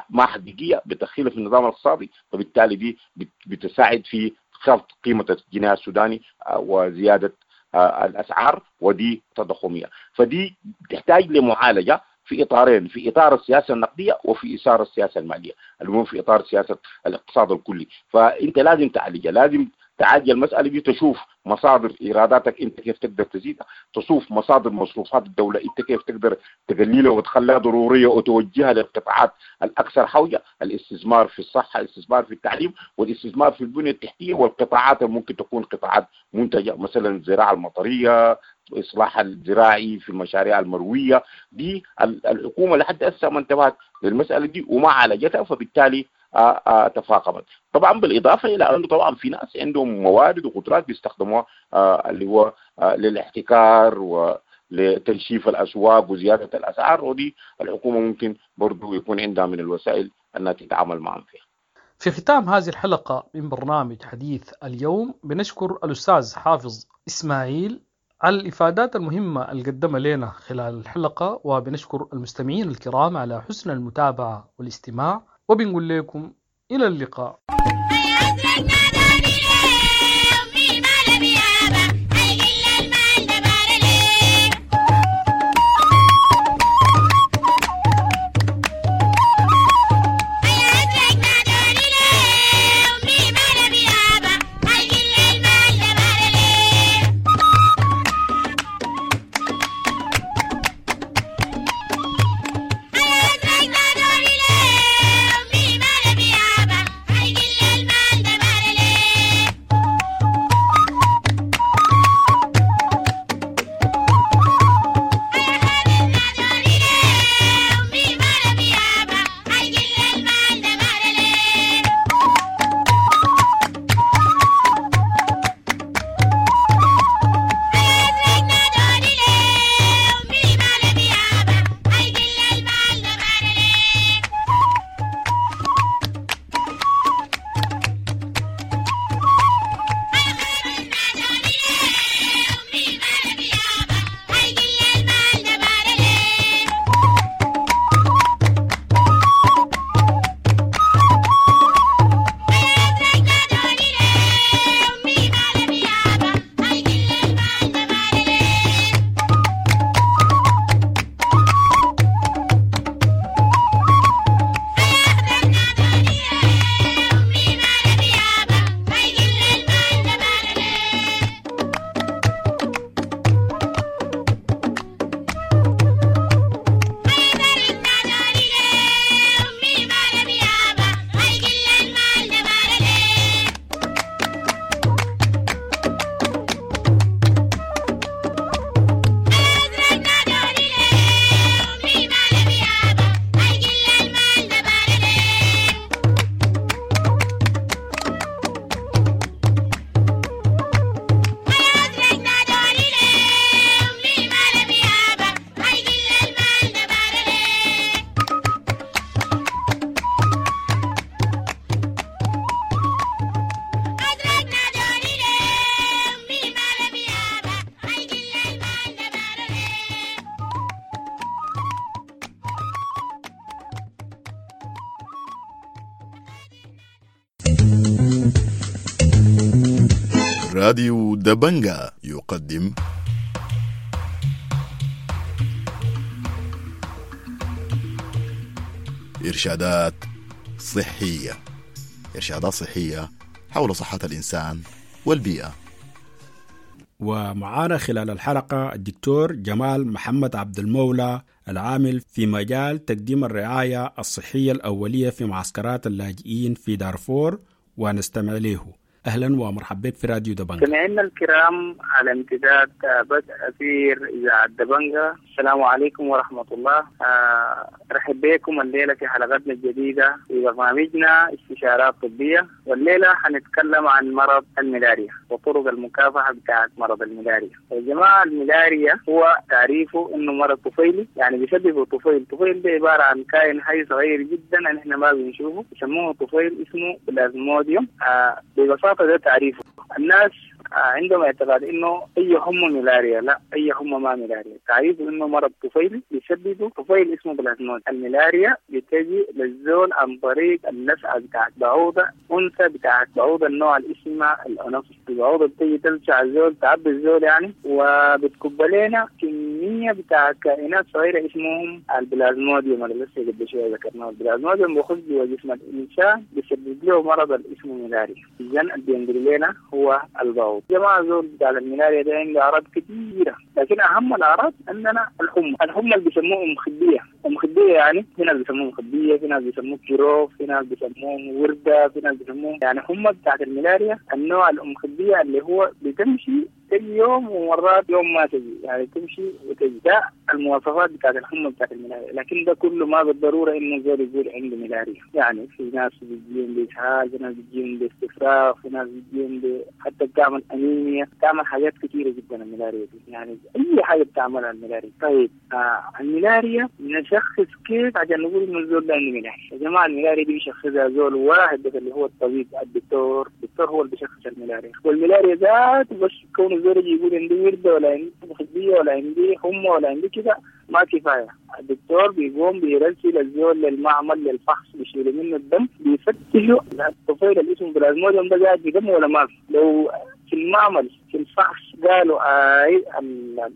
ما حقيقية بتدخلها في النظام الاقتصادي، فبالتالي دي بتساعد في خفض قيمة الجنيه السوداني وزيادة الاسعار، ودي تضخميه. فدي تحتاج لمعالجة في إطارين، في إطار السياسة النقدية وفي إطار السياسة المالية، المهم في إطار سياسة الاقتصاد الكلي. فأنت لازم تعالجها، لازم تعالج المسألة دي، تشوف مصادر إيراداتك أنت كيف تقدر تزيدها، تشوف مصادر مصروفات الدولة أنت كيف تقدر تقللها وتخليها ضرورية وتوجهها للقطاعات الأكثر حوجة، الاستثمار في الصحة، الاستثمار في التعليم، والاستثمار في البنية التحتية، والقطاعات اللي ممكن تكون قطاعات منتجة مثلا الزراعة المطرية، إصلاح الزراعي في المشاريع المروية. دي الحكومة لحد هسه ما انتبهت للمسألة دي وما عالجتها، فبالتالي آآ آآ تفاقمت. طبعا بالإضافة إلى أنه طبعا في ناس عندهم موارد وقدرات بيستخدموها اللي هو للاحتكار ولتنشيف الأسواق وزيادة الأسعار، ودي الحكومة ممكن برضو يكون عندها من الوسائل أنها تتعامل معهم فيها. في ختام هذه الحلقة من برنامج حديث اليوم بنشكر الأستاذ حافظ إسماعيل على الإفادات المهمة اللي قدمها لنا خلال الحلقة، وبنشكر المستمعين الكرام على حسن المتابعة والاستماع، وبنقول لكم إلى اللقاء. راديو دبنجا يقدم إرشادات صحية. إرشادات صحية حول صحة الإنسان والبيئة. ومعانا خلال الحلقة الدكتور جمال محمد عبد المولى، العامل في مجال تقديم الرعاية الصحية الأولية في معسكرات اللاجئين في دارفور، ونستمع له. أهلا ومرحبا بك في راديو دبنجا. مستمعينا الكرام على امتداد بدء أثير إذاعة دبنجا، السلام عليكم ورحمة الله. أرحب بكم الليلة في حلقتنا الجديدة في برنامجنا استشارات طبية، والليلة حنتكلم عن مرض الملاريا وطرق المكافحة بتاعة مرض الملاريا. يا جماعة، الملاريا هو تعريفه إنه مرض طفيلي، يعني بيسببه طفيل. طفيل ده عبارة عن كائن حي صغير جدا نحن ما بنشوفه، يسموه طفيل، اسمه بلازموديوم. ببساطة ده تعريفه. الناس عندهم اعتقاد انه اي حمى ملاريا، لا، اي حمى ما ملاريا. تعريفه انه مرض طفيلي بيسببه طفيل اسمه بلازمود. الملاريا بتجي للزول عن طريق اللسعه بتاعت بعوضة انثى بتاعت بعوضة النوع اللي اسمها الانوفيس. البعوضة بتجي تلسع الزول، تعبي الزول يعني، وبتكب لنا كمية بتاعت كائنات صغيرة اسمهم البلازموديوم اللي لسه قبل شوية ذكرناه. البلازموديوم بيخش جوا جسم الانسان بيسبب له مرض اللي اسمه ملاريا. اذا اللي بينقل لنا هو البعوض. جماعة زول بتاع الملاريا ده عنده أعراض كثيرة، لكن أهم الأعراض عندنا الحمى. الحمى اللي بيسموه أم خدية. أم خدية يعني في ناس بيسموه أم خدية، في ناس بيسموه كيروف، في ناس بيسموه وردة، في ناس بيسموه يعني حمى بتاعت الملاريا النوع الأم خدية اللي هو بتمشي تجي يوم ومرات يوم ما تجي، يعني تمشي وتجي. ده المواصفات بتاعت الحمى بتاعت الملاريا، لكن ده كله ما بالضرورة إنه زول يقول عنده ملاريا. يعني في ناس بتجيهم بإسهال، في ناس بتجيهم باستفراغ، في ناس بتجيهم ب... حتى بتعمل أنيميا، بتعمل حاجات كثيرة جدا الملاريا دي، يعني أي حاجة بتعملها الملاريا. طيب آه الملاريا نشخص كيف عشان نقول إنه الزول ده عنده ملاريا؟ يا جماعة الملاريا دي بيشخصها زول واحد بس اللي هو الطبيب الدكتور، الدكتور هو اللي بيشخص الملاريا. والملاريا ذات بس كون الزول يقول عندي وردة ولا عندي خدية ولا عندي حمى ولا عندي كده ما كفاية. الدكتور بيقوم بيرسل الزول للمعمل للفحص، بيشيلوا منه الدم، بيفتشوا الطفيل اللي اسمه بلازموديوم ده قاعد في دمه ولا ما في. لو في المعمل في الفحص قالوا اي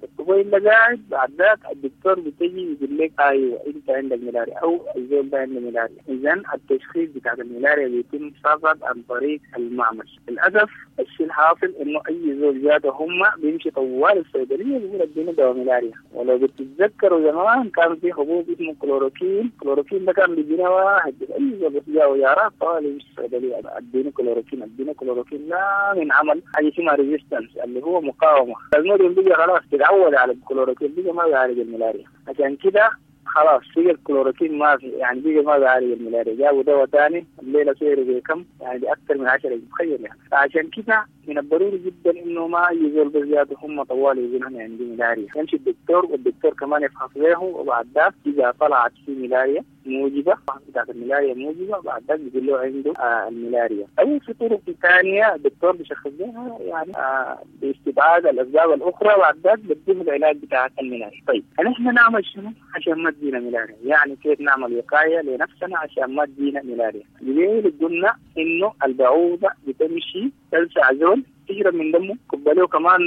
الطفيل ده قاعد، بعد ذاك الدكتور بتجي يقول لك ايوه انت عندك ملاريا او الزول ده عنده ملاريا. اذا التشخيص بتاع الملاريا بيتم فقط عن طريق المعمل. للاسف الشيء الحاصل انه اي زول جاته هم بيمشي طوال الصيدلية بيقول اديني دواء ملاريا. ولو بتتذكروا زمان كان في حبوب اسمه كلوروكين، كلوروكين ده كان بيجينا واحد اي زول بس جاءه يارات طوال يمشي الصيدلية اديني كلوروكين اديني كلوروكين، لا من عمل حاجة اسمها resistance اللي هو مقاومة. الموديوم بيجي خلاص تتعود على الكلوروكين، بيجي ما بيعالج الملاريا. عشان كده خلاص بيجي الكلوروكين ما في، يعني بيجي ما بيعالج الملاريا. جابوا دواء ثاني الليلة سعره بكم؟ يعني باكثر من عشرة، تخيل يعني. فعشان كده من الضروري جدا انه ما يزول بزيادة هم طوال يقولون انا عندي ملاريا، يمشي الدكتور والدكتور كمان يفحص له، وبعد ذاك اذا طلعت في ملاريا موجبه بتاعت الملاريا موجبه، بعد ذاك بيقول له عنده آه الملاريا. او في طرق ثانية الدكتور بيشخص لها يعني آه باستبعاد الاسباب الاخرى، بعد ذاك بيديه العلاج بتاع الملاريا. طيب نحن نعمل شنو عشان ما تجينا ملاريا؟ يعني كيف نعمل وقاية لنفسنا عشان ما تجينا ملاريا؟ ليه قلنا انه البعوضة بتمشي تلسع زول، تجرب من دمه، كباليه كمان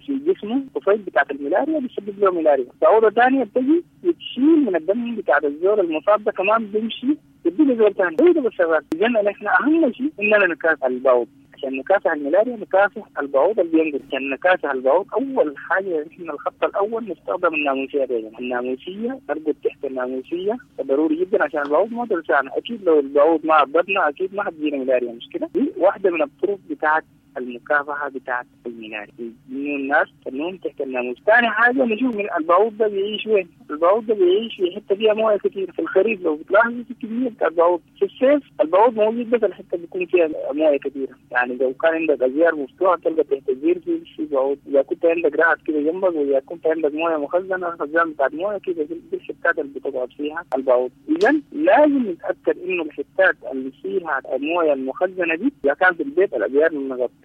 في جسمه طفيل بتاعت الملاريا بيسبب له ملاريا. بعوضة ثانية بتجي بتشيل من الدم بتاعت الزول المصاب ده كمان بيمشي بيدي زول ثاني. هو ده بالشغال. اذا نحن اهم شيء اننا نكافح البعوض. عشان نكافح الملاريا نكافح البعوض اللي بينقل. عشان نكافح البعوض اول حاجة نحن الخط الاول نستخدم الناموسيه. دايما الناموسيه، نرقد تحت الناموسيه، ضروري جدا عشان البعوض ما تلسعنا. اكيد لو البعوض ما عضتنا اكيد ما حتجينا ملاريا، مش كده؟ دي واحدة من الطرق بتاعت المكافحه بتاعت الملاريا، انه الناس تنوم تحت الناموس. ثاني حاجة نشوف من البعوض ده بيعيش وين؟ البعوض ده بيعيش في حتة فيها مويه كثير. في الخريف لو بتلاحظ في كمية بتاع البعوض، في الصيف البعوض موجود بس الحتة بيكون فيها مويه كثيرة. يعني لو كان عندك ازيار مفتوحة تلقى تحت الزير في في بعوض، اذا كنت عندك رعد كده جنبك، واذا كنت عندك مويه مخزنة خزان بتاعت مويه كده دي الحتات اللي بتقعد فيها البعوض. اذا لازم نتاكد انه الحتات اللي فيها المويه المخزنه دي اذا كان في البيت الازيار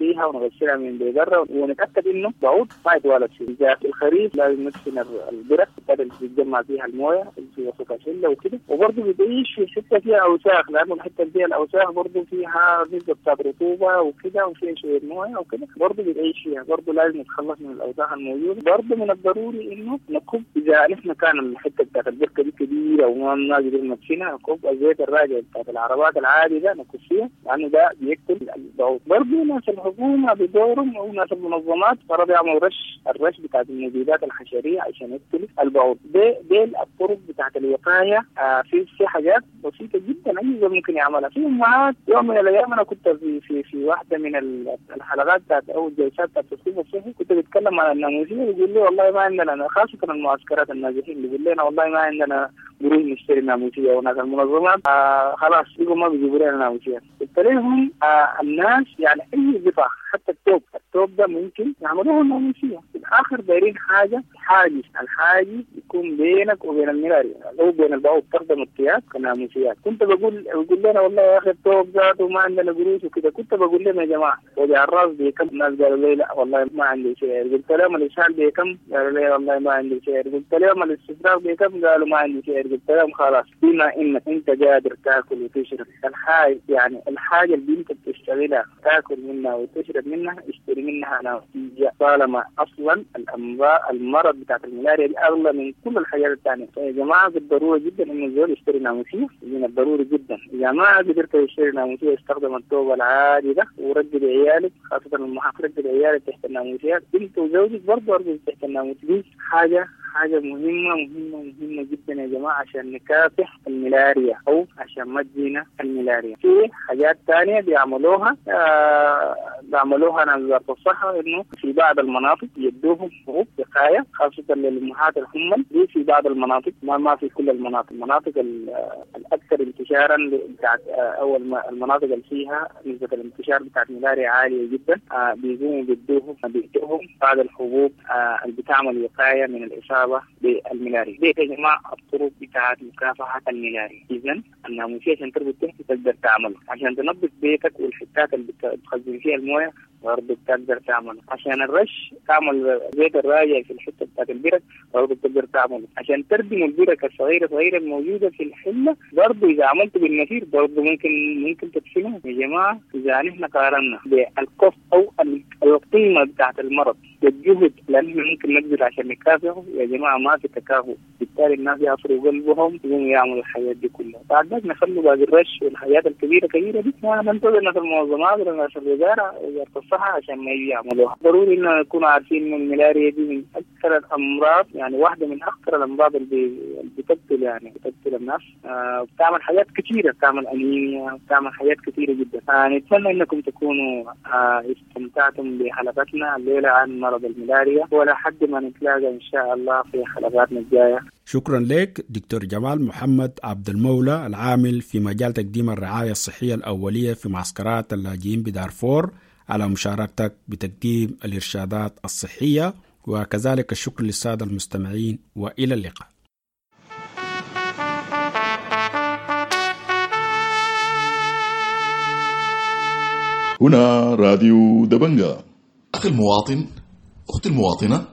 نغطيها ونغسلها من برا ونتأكد إنه بعوض ما يتوالد فيه. إذا في الخريف لازم ندفن البرك اللي بيتجمع فيها الموية في وسط الحلة وكده، وبرضه بتعيش في حتة فيها أوساخ، لأنه الحتة اللي فيها الأوساخ برضه فيها نسبة بتاعت رطوبة وكده وفيها شوية موية وكده، برضه بتعيش فيها، برضه لازم نتخلص من الأوساخ الموجودة. برضه من الضروري إنه نكب إذا نحن كان الحتة بتاعت البركة دي كبيرة وما قدرنا ندفنها، نكب الزيت الراجع بتاعت العربات العادي ده نكب فيها، لأنه ده بيقتل البعوض. برضه ناس الحكومة بدورهم أو ناس المنظمات برضه يعملوا رش، الرش بتاعت المبيدات الحشرية عشان يقتل البعوض. دي دي الطرق بتاعت الوقاية. آه في في حاجات بسيطة جدا أي زول ممكن يعملها. في أمهات يوم من الأيام أنا كنت في في في واحدة من الحلقات بتاعت أو الجلسات بتاعت التثقيف الصحي كنت بتكلم عن الناموسية، بيقول لي والله ما عندنا، خاصة المعسكرات النازحين بيقول لنا والله ما عندنا قروش نشتري ناموسية، وناس المنظمات آه خلاص بيقولوا ما بيجيبوا لنا ناموسية. قلت لهم آه الناس يعني أي قطع حتى التوب، التوب ده ممكن يعملوه الناموسية. في الآخر دايرين حاجة حاجز، الحاجز يكون بينك وبين الملاريا أو بين البعوض، تخدم الثياب كناموسيات. كنت بقول بقول لنا والله يا أخي التوب ذاته ما عندنا قروش وكده، كنت بقول لهم يا جماعة وجع الراس بكم؟ الناس قالوا لي لا والله ما عندي شيء. قلت لهم الإسهال بكم؟ قالوا لي والله ما عندي شيء. قلت لهم الاستفراغ بكم؟ قالوا ما عندي شيء. قلت لهم خلاص بما إنك أنت قادر تاكل وتشرب الحاجة، يعني الحاجة اللي أنت بتشتغلها تاكل منها وتشرب منها اشتري منها ناموسية، طالما أصلا الأمراض المرض بتاعت الملاريا دي أغلى من كل الحاجات الثانية. فيا جماعة بالضرورة جدا إنه الزول يشتري ناموسية، من الضروري جدا. إذا ما قدرت تشتري ناموسية استخدم الثوب العادي ده ورجل عيالك، خاصة المحافظ رجل عيالك تحت الناموسيات، أنت وزوجك برضه أرجل تحت الناموسية. دي حاجة حاجة مهمة مهمة مهمة جدا يا جماعة عشان نكافح الملاريا أو عشان ما تجينا الملاريا. في حاجات تانية بيعملوها آه بيعملوها ناس وزارة الصحة، إنه في بعض المناطق يدوهم حبوب وقاية خاصة للأمهات الحمل دي في بعض المناطق، ما ما في كل المناطق، المناطق الأكثر انتشارا بتاعت أو المناطق اللي فيها نسبة الانتشار بتاعت الملاريا عالية جدا، آه بيقوموا بيدوهم بيدوهم بعض الحبوب آه اللي بتعمل وقاية من الإصابة بالملاريا. دي يا جماعة الطرق بتاعت مكافحة الملاريا. إذا الناموسية عشان تربط تحت تقدر تعمله، عشان تنظف بيتك والحتات اللي بتخزن فيها الموية برضه بتقدر تعمله، عشان الرش تعمل زيت الراجع في الحتة بتاعت البرك برضه بتقدر تعمله، عشان تردم البرك الصغيرة صغيرة الموجودة في الحلة برضه إذا عملته بالنفير برضه ممكن ممكن تدفنه. يا جماعة إذا نحن قارنا بالكوست أو القيمة بتاعت المرض بالجهد لأنه ممكن نبذل عشان نكافحه، يا جماعة ما في تكافؤ، بالتالي الناس يعصروا قلبهم يقوموا يعملوا الحاجات دي كلها. بعد ذلك نخلوا باقي الرش والحاجات الكبيرة كبيرة دي ما ننتظر ناس المنظمات ولا ناس الوزارة وزارة الصحة عشان ما يجي يعملوها. ضروري إنه نكون عارفين إنه الملاريا دي من أكثر الأمراض، يعني واحدة من أخطر الأمراض اللي بتقتل يعني بتقتل الناس، آه بتعمل حاجات كثيرة، بتعمل أنيميا، بتعمل حاجات كثيرة جدا. آه نتمنى إنكم تكونوا آه استمتعتم بحلقتنا الليلة عن مرض الملاريا، ولا حد ما نتلاقى إن شاء الله في حلقاتنا الجاية. شكرا لك دكتور جمال محمد عبد المولى العامل في مجال تقديم الرعاية الصحية الأولية في معسكرات اللاجئين بدارفور على مشاركتك بتقديم الإرشادات الصحية، وكذلك الشكر للسادة المستمعين، وإلى اللقاء. هنا راديو دبنجا. أخي المواطن، أختي المواطنة،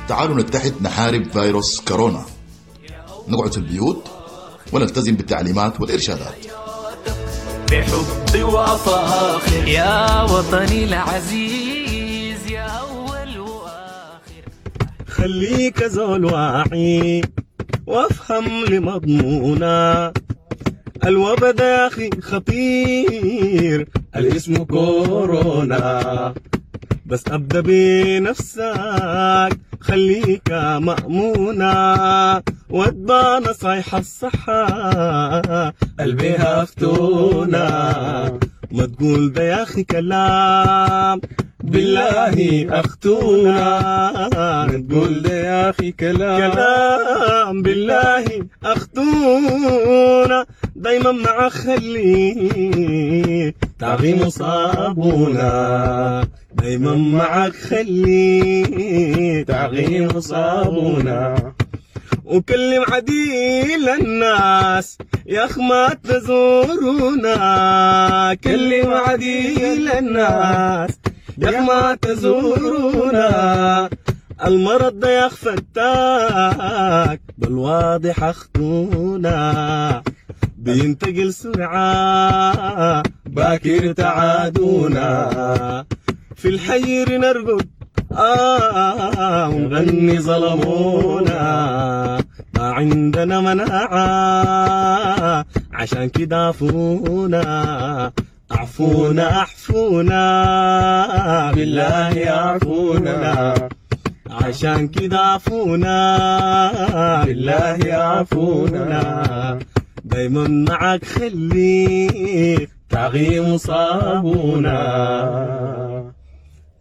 تعالوا نتحد نحارب فيروس كورونا، نقعد في البيوت ونلتزم بالتعليمات والإرشادات. بحب وفاخر يا وطني العزيز يا أول وآخر، خليك زول واعي وافهم لمضمونا، الوبا ده يا أخي خطير الاسم كورونا، بس أبدأ بنفسك خليك مأمونة، واتبع نصايح الصحة قلبها فتونة، ما تقول ده يا أخي كلام بالله أختونا، ما تقول ده يا أخي كلام كلام بالله أختونا، دايما مع خلي تعظيم صابونا، دايما معك خلي تعظيم صابونا. وكلم عديل الناس يا أخ ما تزورونا، كلم عديل الناس يا أخ ما تزورونا. المرض ده يا أخ فتاك بالواضح أخطونا، بينتقل سرعة باكر تعادونا، في الحير نرقد آه ونغني ظلمونا، ما عندنا مناعة عشان كده عفونا، عفونا عفونا بالله عفونا، عشان كده عفونا بالله عفونا. دايما معك خليك تعغيم وصابونا،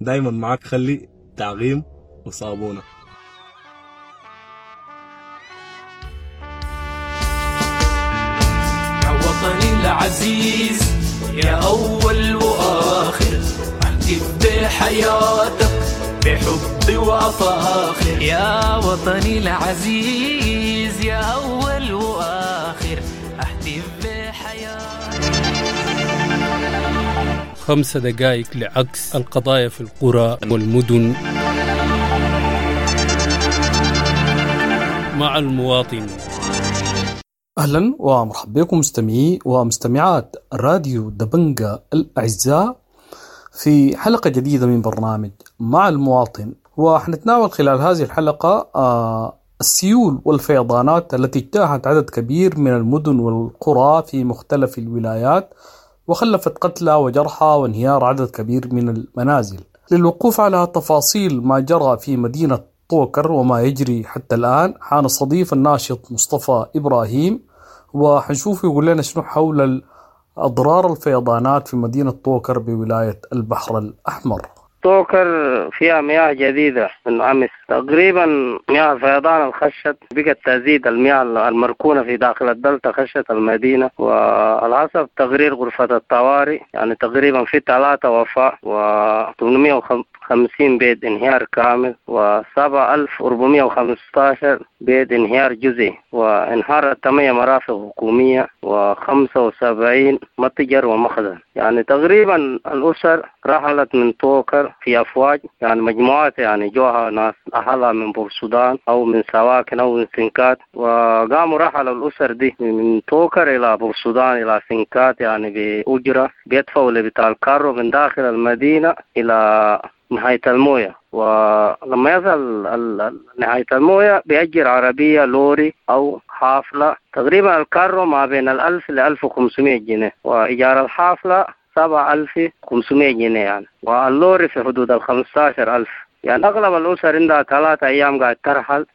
دايما معك خلي تعغيم وصابونا. يا وطني العزيز يا أول وآخر، أهتف بحياتك بحب وأفاخر. يا وطني العزيز يا أول وآخر، أهتف بحياتك. خمس دقائق لعكس القضايا في القرى والمدن مع المواطن. أهلا ومرحبا بكم مستمعي ومستمعات راديو دبنجا الأعزاء في حلقة جديدة من برنامج مع المواطن. وحنتناول خلال هذه الحلقة السيول والفيضانات التي اجتاحت عدد كبير من المدن والقرى في مختلف الولايات وخلفت قتلى وجرحى وانهيار عدد كبير من المنازل. للوقوف على تفاصيل ما جرى في مدينة طوكر وما يجري حتى الآن حنستضيف الناشط مصطفى إبراهيم، وحنشوف يقول لنا شنو حول أضرار الفيضانات في مدينة طوكر بولاية البحر الأحمر. طوكر فيها مياه جديدة من أمس تقريبا، مياه الفيضان الخشت بقت تزيد المياه المركونة في داخل الدلتا خشت المدينة. وعلى حسب تقرير غرفة الطوارئ يعني تقريبا في ثلاثة وفاة وثمانمائة وخمسين بيت انهيار كامل وسبعة ألف وأربعمائة وخمسة عشر بيت انهيار جزئي، وانهارت ثمانية مرافق حكومية وخمسة وسبعين متجر ومخزن. يعني تقريبا الأسر رحلت من طوكر في أفواج، يعني مجموعات، يعني جوها ناس أهلها من بورسودان أو من سواكن أو من سنكات، وقاموا رحلوا الأسر دي من طوكر إلى بورسودان إلى سنكات، يعني بأجرة بيدفعوا لبتاع الكارو من داخل المدينة إلى نهاية الموية. ولما يصل نهاية الموية بيأجر عربية لوري أو حافلة، تقريبا الكارو ما بين الألف لألف وخمسمائة جنيه، وإيجار الحافلة سبعة ألف وخمسمائة جنيه يعني، واللوري في حدود الخمسة عشر ألف. يعني أغلب الأسر عندها ثلاثة أيام قاعد ترحل،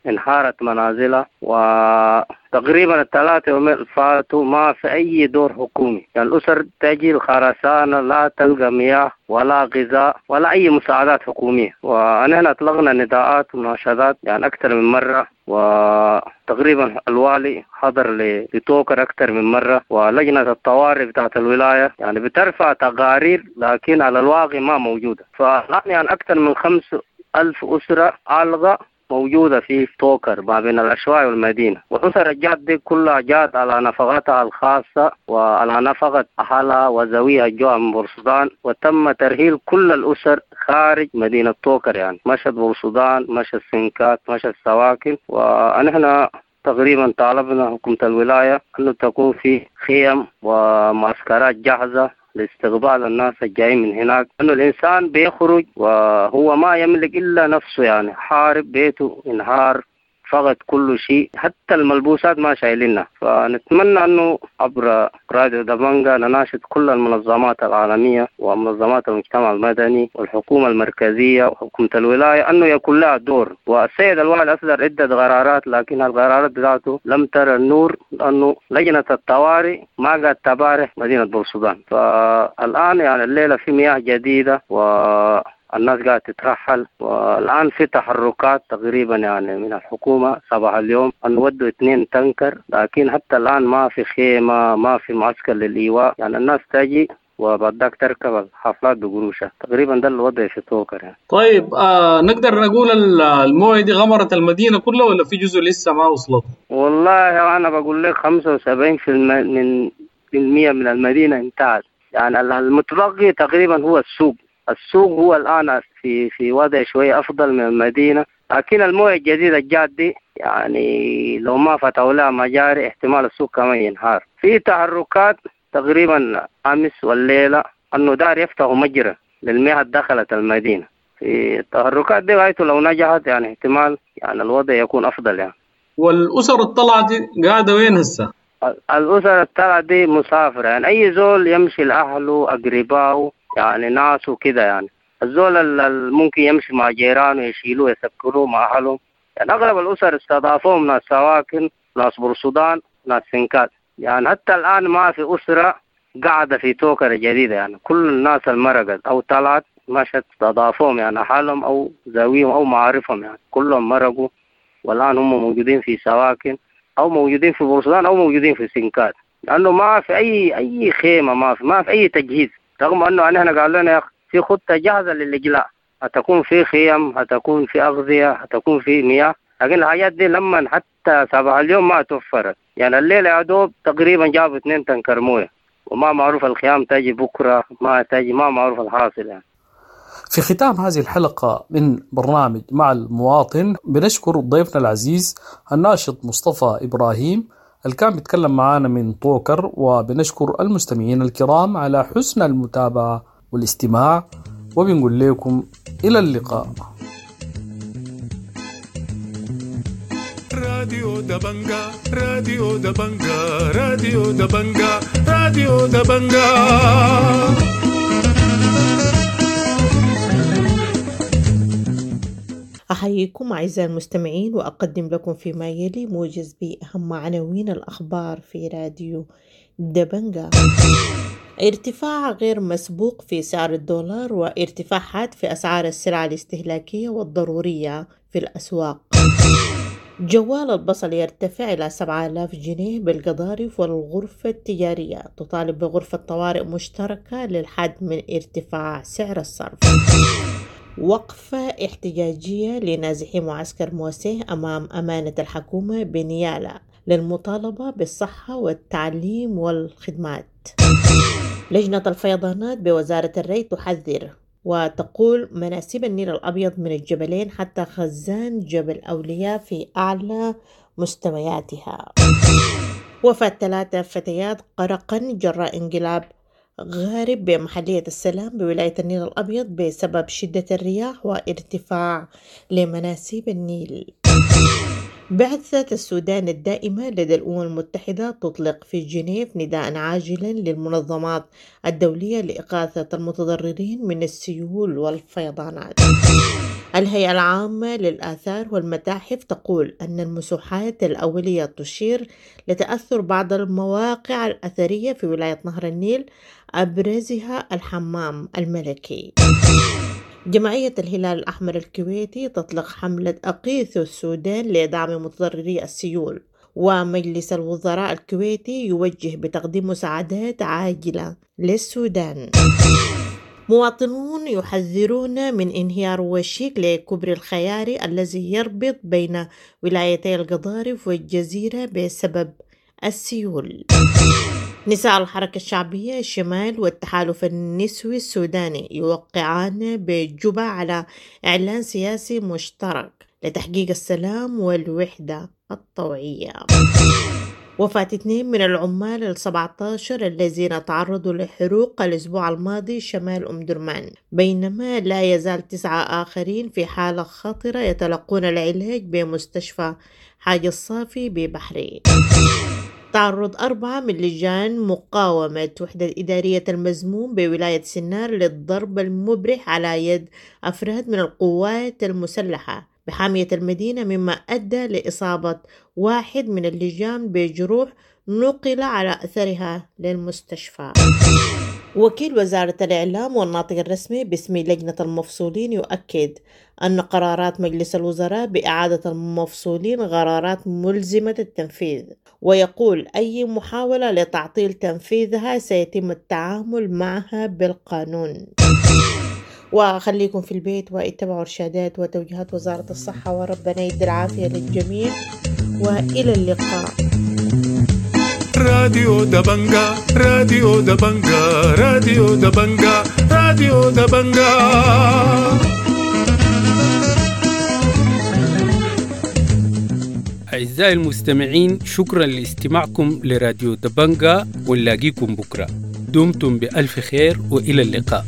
انهارت منازلها، وتقريبا الثلاثة يومين فاتوا ما في أي دور حكومي. يعني الأسر تجي الخرسانة لا تلقى مياه ولا غذاء ولا أي مساعدات حكومية. ونحن أطلقنا نداءات ومناشدات يعني أكثر من مرة، وتقريبا الوالي حضر لطوكر أكثر من مرة، ولجنة الطوارئ بتاعت الولاية يعني بترفع تقارير لكن على الواقع ما موجودة. فالآن يعني أكثر من خمس ألف أسرة عالقة موجودة في طوكر ما بين الأشواي والمدينة، والأسر الجات دي كلها جات على نفقتها الخاصة وعلى نفقة أهلها وزويها الجوع من بورسودان، وتم ترحيل كل الأسر خارج مدينة طوكر، يعني مشت بورسودان، مشت سنكات، مشت سواكن. ونحن تقريبا طالبنا حكومة الولاية أنه تكون في خيم ومعسكرات جاهزة لاستقبال الناس الجايين من هناك، أنه الإنسان بيخرج وهو ما يملك إلا نفسه، يعني حارب بيته انهار فقد كل شيء، حتى الملبوسات ما شايلينها. فنتمنى أنه عبر راديو دبنجا نناشد كل المنظمات العالمية ومنظمات المجتمع المدني والحكومة المركزية وحكومة الولاية أنه يكون لها دور. والسيد الوالي أصدر عدة قرارات لكن القرارات بتاعته لم ترى النور، لأنه لجنة الطوارئ ما قد تبارح مدينة بورسودان. فالآن يعني الليلة في مياه جديدة و الناس قاعدة تترحل، والآن في تحركات تقريبا يعني من الحكومة صباح اليوم أن ودوا اثنين تنكر، لكن حتى الآن ما في خيمة، ما في معسكر للإيواء. يعني الناس تجي وبعد ذاك تركب الحافلات بقروشها. تقريبا ده الوضع في طوكر يعني. طيب آه نقدر نقول المويه دي غمرت المدينة كلها ولا في جزء لسه ما وصلت؟ والله أنا بقول لك خمسة وسبعين في من المية من المدينة انتهت يعني. المتبقي تقريبا هو السوق. السوق هو الآن في في وضع شوية أفضل من المدينة، لكن المويه الجديدة الجات دي يعني لو ما فتحوا لها مجاري احتمال السوق كمان ينهار. في تحركات تقريبا أمس والليلة أنه دار يفتحوا مجرى للمياه دخلت المدينة. في التحركات دي غايته لو نجحت يعني احتمال يعني الوضع يكون أفضل يعني. والأسر الطلعة دي قاعدة وين هسه؟ الأسر الطلعة دي مسافرة يعني، أي زول يمشي لأهله أقربائه يعني ناسه كده يعني. الزول اللي ممكن يمشي مع جيرانه يشيلوه يسكروه مع أهله يعني. أغلب الأسر استضافوهم ناس سواكن، ناس برسودان، ناس سنكات يعني. حتى الآن ما في أسرة قاعدة في توكر جديدة يعني. كل الناس المرقت أو طلعت مشت استضافوهم يعني، حالهم أو زاويهم أو معارفهم يعني، كلهم مرقوا والآن هم موجودين في سواكن أو موجودين في بورسودان أو موجودين في سنكات، لأنه ما في أي أي خيمة، ما في ما في أي تجهيز. رغم أنه نحن قال لنا يا أخي في خطة جاهزة للإجلاء، هتكون في خيم، هتكون في أغذية، هتكون في مياه، لكن الحاجات دي لما حتى صباح اليوم ما توفرت يعني. الليلة يا دوب تقريبا جابوا اثنين تنكر مويه، وما معروف الخيام تجي بكرة ما تجي، ما معروف الحاصل يعني. في ختام هذه الحلقة من برنامج مع المواطن بنشكر ضيفنا العزيز الناشط مصطفى إبراهيم اللي كان بيتكلم معانا من طوكر، وبنشكر المستمعين الكرام على حسن المتابعة والاستماع، وبنقول لكم إلى اللقاء. راديو دبنجا، راديو دبنجا، راديو دبنجا، راديو دبنجا. أحييكم أعزائي المستمعين وأقدم لكم فيما يلي موجز بأهم عناوين الأخبار في راديو دبنجا. ارتفاع غير مسبوق في سعر الدولار وارتفاع حاد في أسعار السلع الاستهلاكية والضرورية في الأسواق. جوال البصل يرتفع إلى سبعة آلاف جنيه بالقضارف، والغرفة التجارية تطالب بغرفة طوارئ مشتركة للحد من ارتفاع سعر الصرف. وقفة احتجاجية لنازحي معسكر موسيه أمام أمانة الحكومة بنيالا للمطالبة بالصحة والتعليم والخدمات. لجنة الفيضانات بوزارة الري تحذر وتقول مناسيب النيل الأبيض من الجبلين حتى خزان جبل أولياء في أعلى مستوياتها. وفاة ثلاثة فتيات غرقا جراء انقلاب غارب بمحلية السلام بولاية النيل الأبيض بسبب شدة الرياح وارتفاع لمناسيب النيل. بعثة السودان الدائمة لدى الأمم المتحدة تطلق في جنيف نداء عاجلا للمنظمات الدولية لإغاثة المتضررين من السيول والفيضانات. الهيئة العامة للآثار والمتاحف تقول أن المسوحات الأولية تشير لتأثر بعض المواقع الأثرية في ولاية نهر النيل، أبرزها الحمام الملكي. جمعية الهلال الأحمر الكويتي تطلق حملة أقيث السودان لدعم متضرري السيول. ومجلس الوزراء الكويتي يوجه بتقديم مساعدات عاجلة للسودان. مواطنون يحذرون من انهيار وشيك لكوبري الخياري الذي يربط بين ولايتي القضارف والجزيرة بسبب السيول. نساء الحركة الشعبية الشمال والتحالف النسوي السوداني يوقعان بجوبا على إعلان سياسي مشترك لتحقيق السلام والوحدة الطوعية. وفاة اثنين من العمال السبعة عشر الذين تعرضوا لحروق الأسبوع الماضي شمال أم درمان، بينما لا يزال تسعة آخرين في حالة خطرة يتلقون العلاج بمستشفى حاج الصافي ببحرين. تعرض أربعة من لجان مقاومة وحدة إدارية المزموم بولاية سنار للضرب المبرح على يد أفراد من القوات المسلحة بحامية المدينة، مما أدى لإصابة واحد من اللجان بجروح نقل على أثرها للمستشفى. وكيل وزارة الإعلام والناطق الرسمي باسم لجنة المفصولين يؤكد أن قرارات مجلس الوزراء بإعادة المفصولين قرارات ملزمة التنفيذ، ويقول أي محاولة لتعطيل تنفيذها سيتم التعامل معها بالقانون. وخليكم في البيت واتبعوا إرشادات وتوجيهات وزارة الصحة، وربنا يدي العافية للجميع، وإلى اللقاء. راديو دبنجا، راديو دبنجا، راديو دبنجا، راديو دبنجا. أعزائي المستمعين، شكرا لاستماعكم لراديو دبنجا، ونلاقيكم بكرة. دمتم بألف خير وإلى اللقاء.